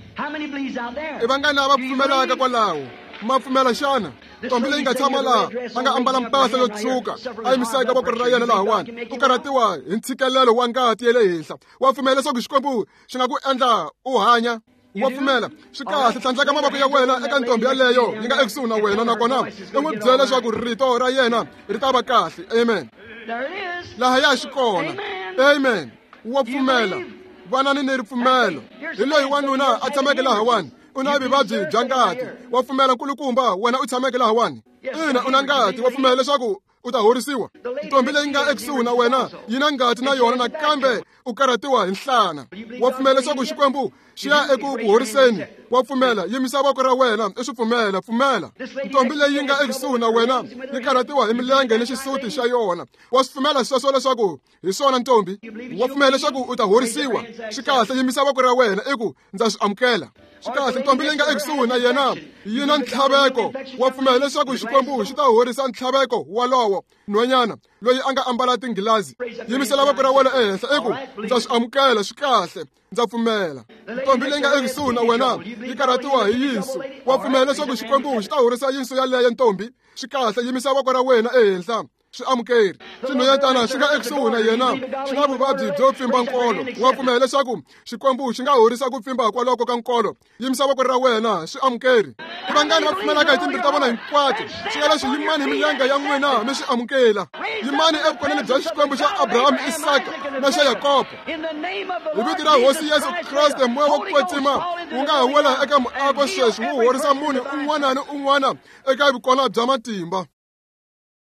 I vangani lava pfumelaka kwalaho? Ma pfumela xana? Ntombi leyi nga tshama laha a nga ambala mpahla yo tshuka, a yimisaka voko ra yena lahawani, u karhatiwa hi ntshikelelo wa ngati ya le henhla. Wa pfumela leswaku Xikwembu xi nga ku endla u hanya? Wa pfumela? Swi kahle, tlhandleka mavoko ya wena eka ntombi yaleyo yi nga ekusuhi na wena, nakona u n'wi byela leswaku rito ra yena ri ta va kahle. Amen. Lahaya xi kona. Amen. Wa pfumela? Vanani ni ripfumelo. Hi loyi wanuna a tshameke lahawani, u na vuvabyi bya ngati. Wa pfumela, nkulukumba? Wena u tshameke lahawani, ina, u na ngati. Wa pfumela leswaku U ta horisiwa. Ntombi leyi nga ekusuhi na wena yi na ngati na yona, nakambe u karhatiwa hi nhlana. Wa pfumela leswaku Xikwembu xi ya eku ku horiseni? Wa pfumela? Yimisa voko ra wena i swi pfumela. Pfumela. Ntombi leyi nga ekusuhi na wena yi karhatiwa hi milenge ni xisuti xa yona. Wa swi pfumela sweswo leswaku hi swona, ntombi? Wa pfumela leswaku u ta horisiwa? Swi kahle, yimisa voko ra wena i ku ndza swi amukela. Swi kahle. Ntombi leyi nga ekusuhi na yena yi na ntlhaveko. Wa pfumela leswaku Xikwembu xi ta horisa ntlhaveko walowo? Nhwanyana loyi a nga ambala tinghilazi, yimisela voko ra wena ehenhla i ku ndza swi amukela. Swi kahle, ndza pfumela. Ntombi leyi nga ekusuhi na wena yi karhatiwa hi yinsu. Wa pfumela leswaku Xikwembu xi ta horisa yinsu yaleyo, ntombi? Swi kahle, yimisa voko ra wena ehenhla, swi amukeri. Xinhwanyatana xi nga ekusuhi na yena xi na vuvabyi byo pfimba nkolo. Wa pfumela leswaku Xikwembu xi nga horisa ku pfimba kwaloko ka nkolo? Yimisa voko ra wena, swi amukeri. I vangani va pfumelaka hi timbilu ta vona hinkwato? Swi nga leswi, yimani hi milenge ya n'wina mi swi amukela. Yimani evukoneni bya Xikwembu xa Abrahamu, Isaka na xa Yakobo. Hi vito ra Hosi Yesu Kreste, moya wa ku kwetsima wu nga ha wela eka muako sweswi, wu horisa munhu un'wana ni un'wana eka vukona bya matimba.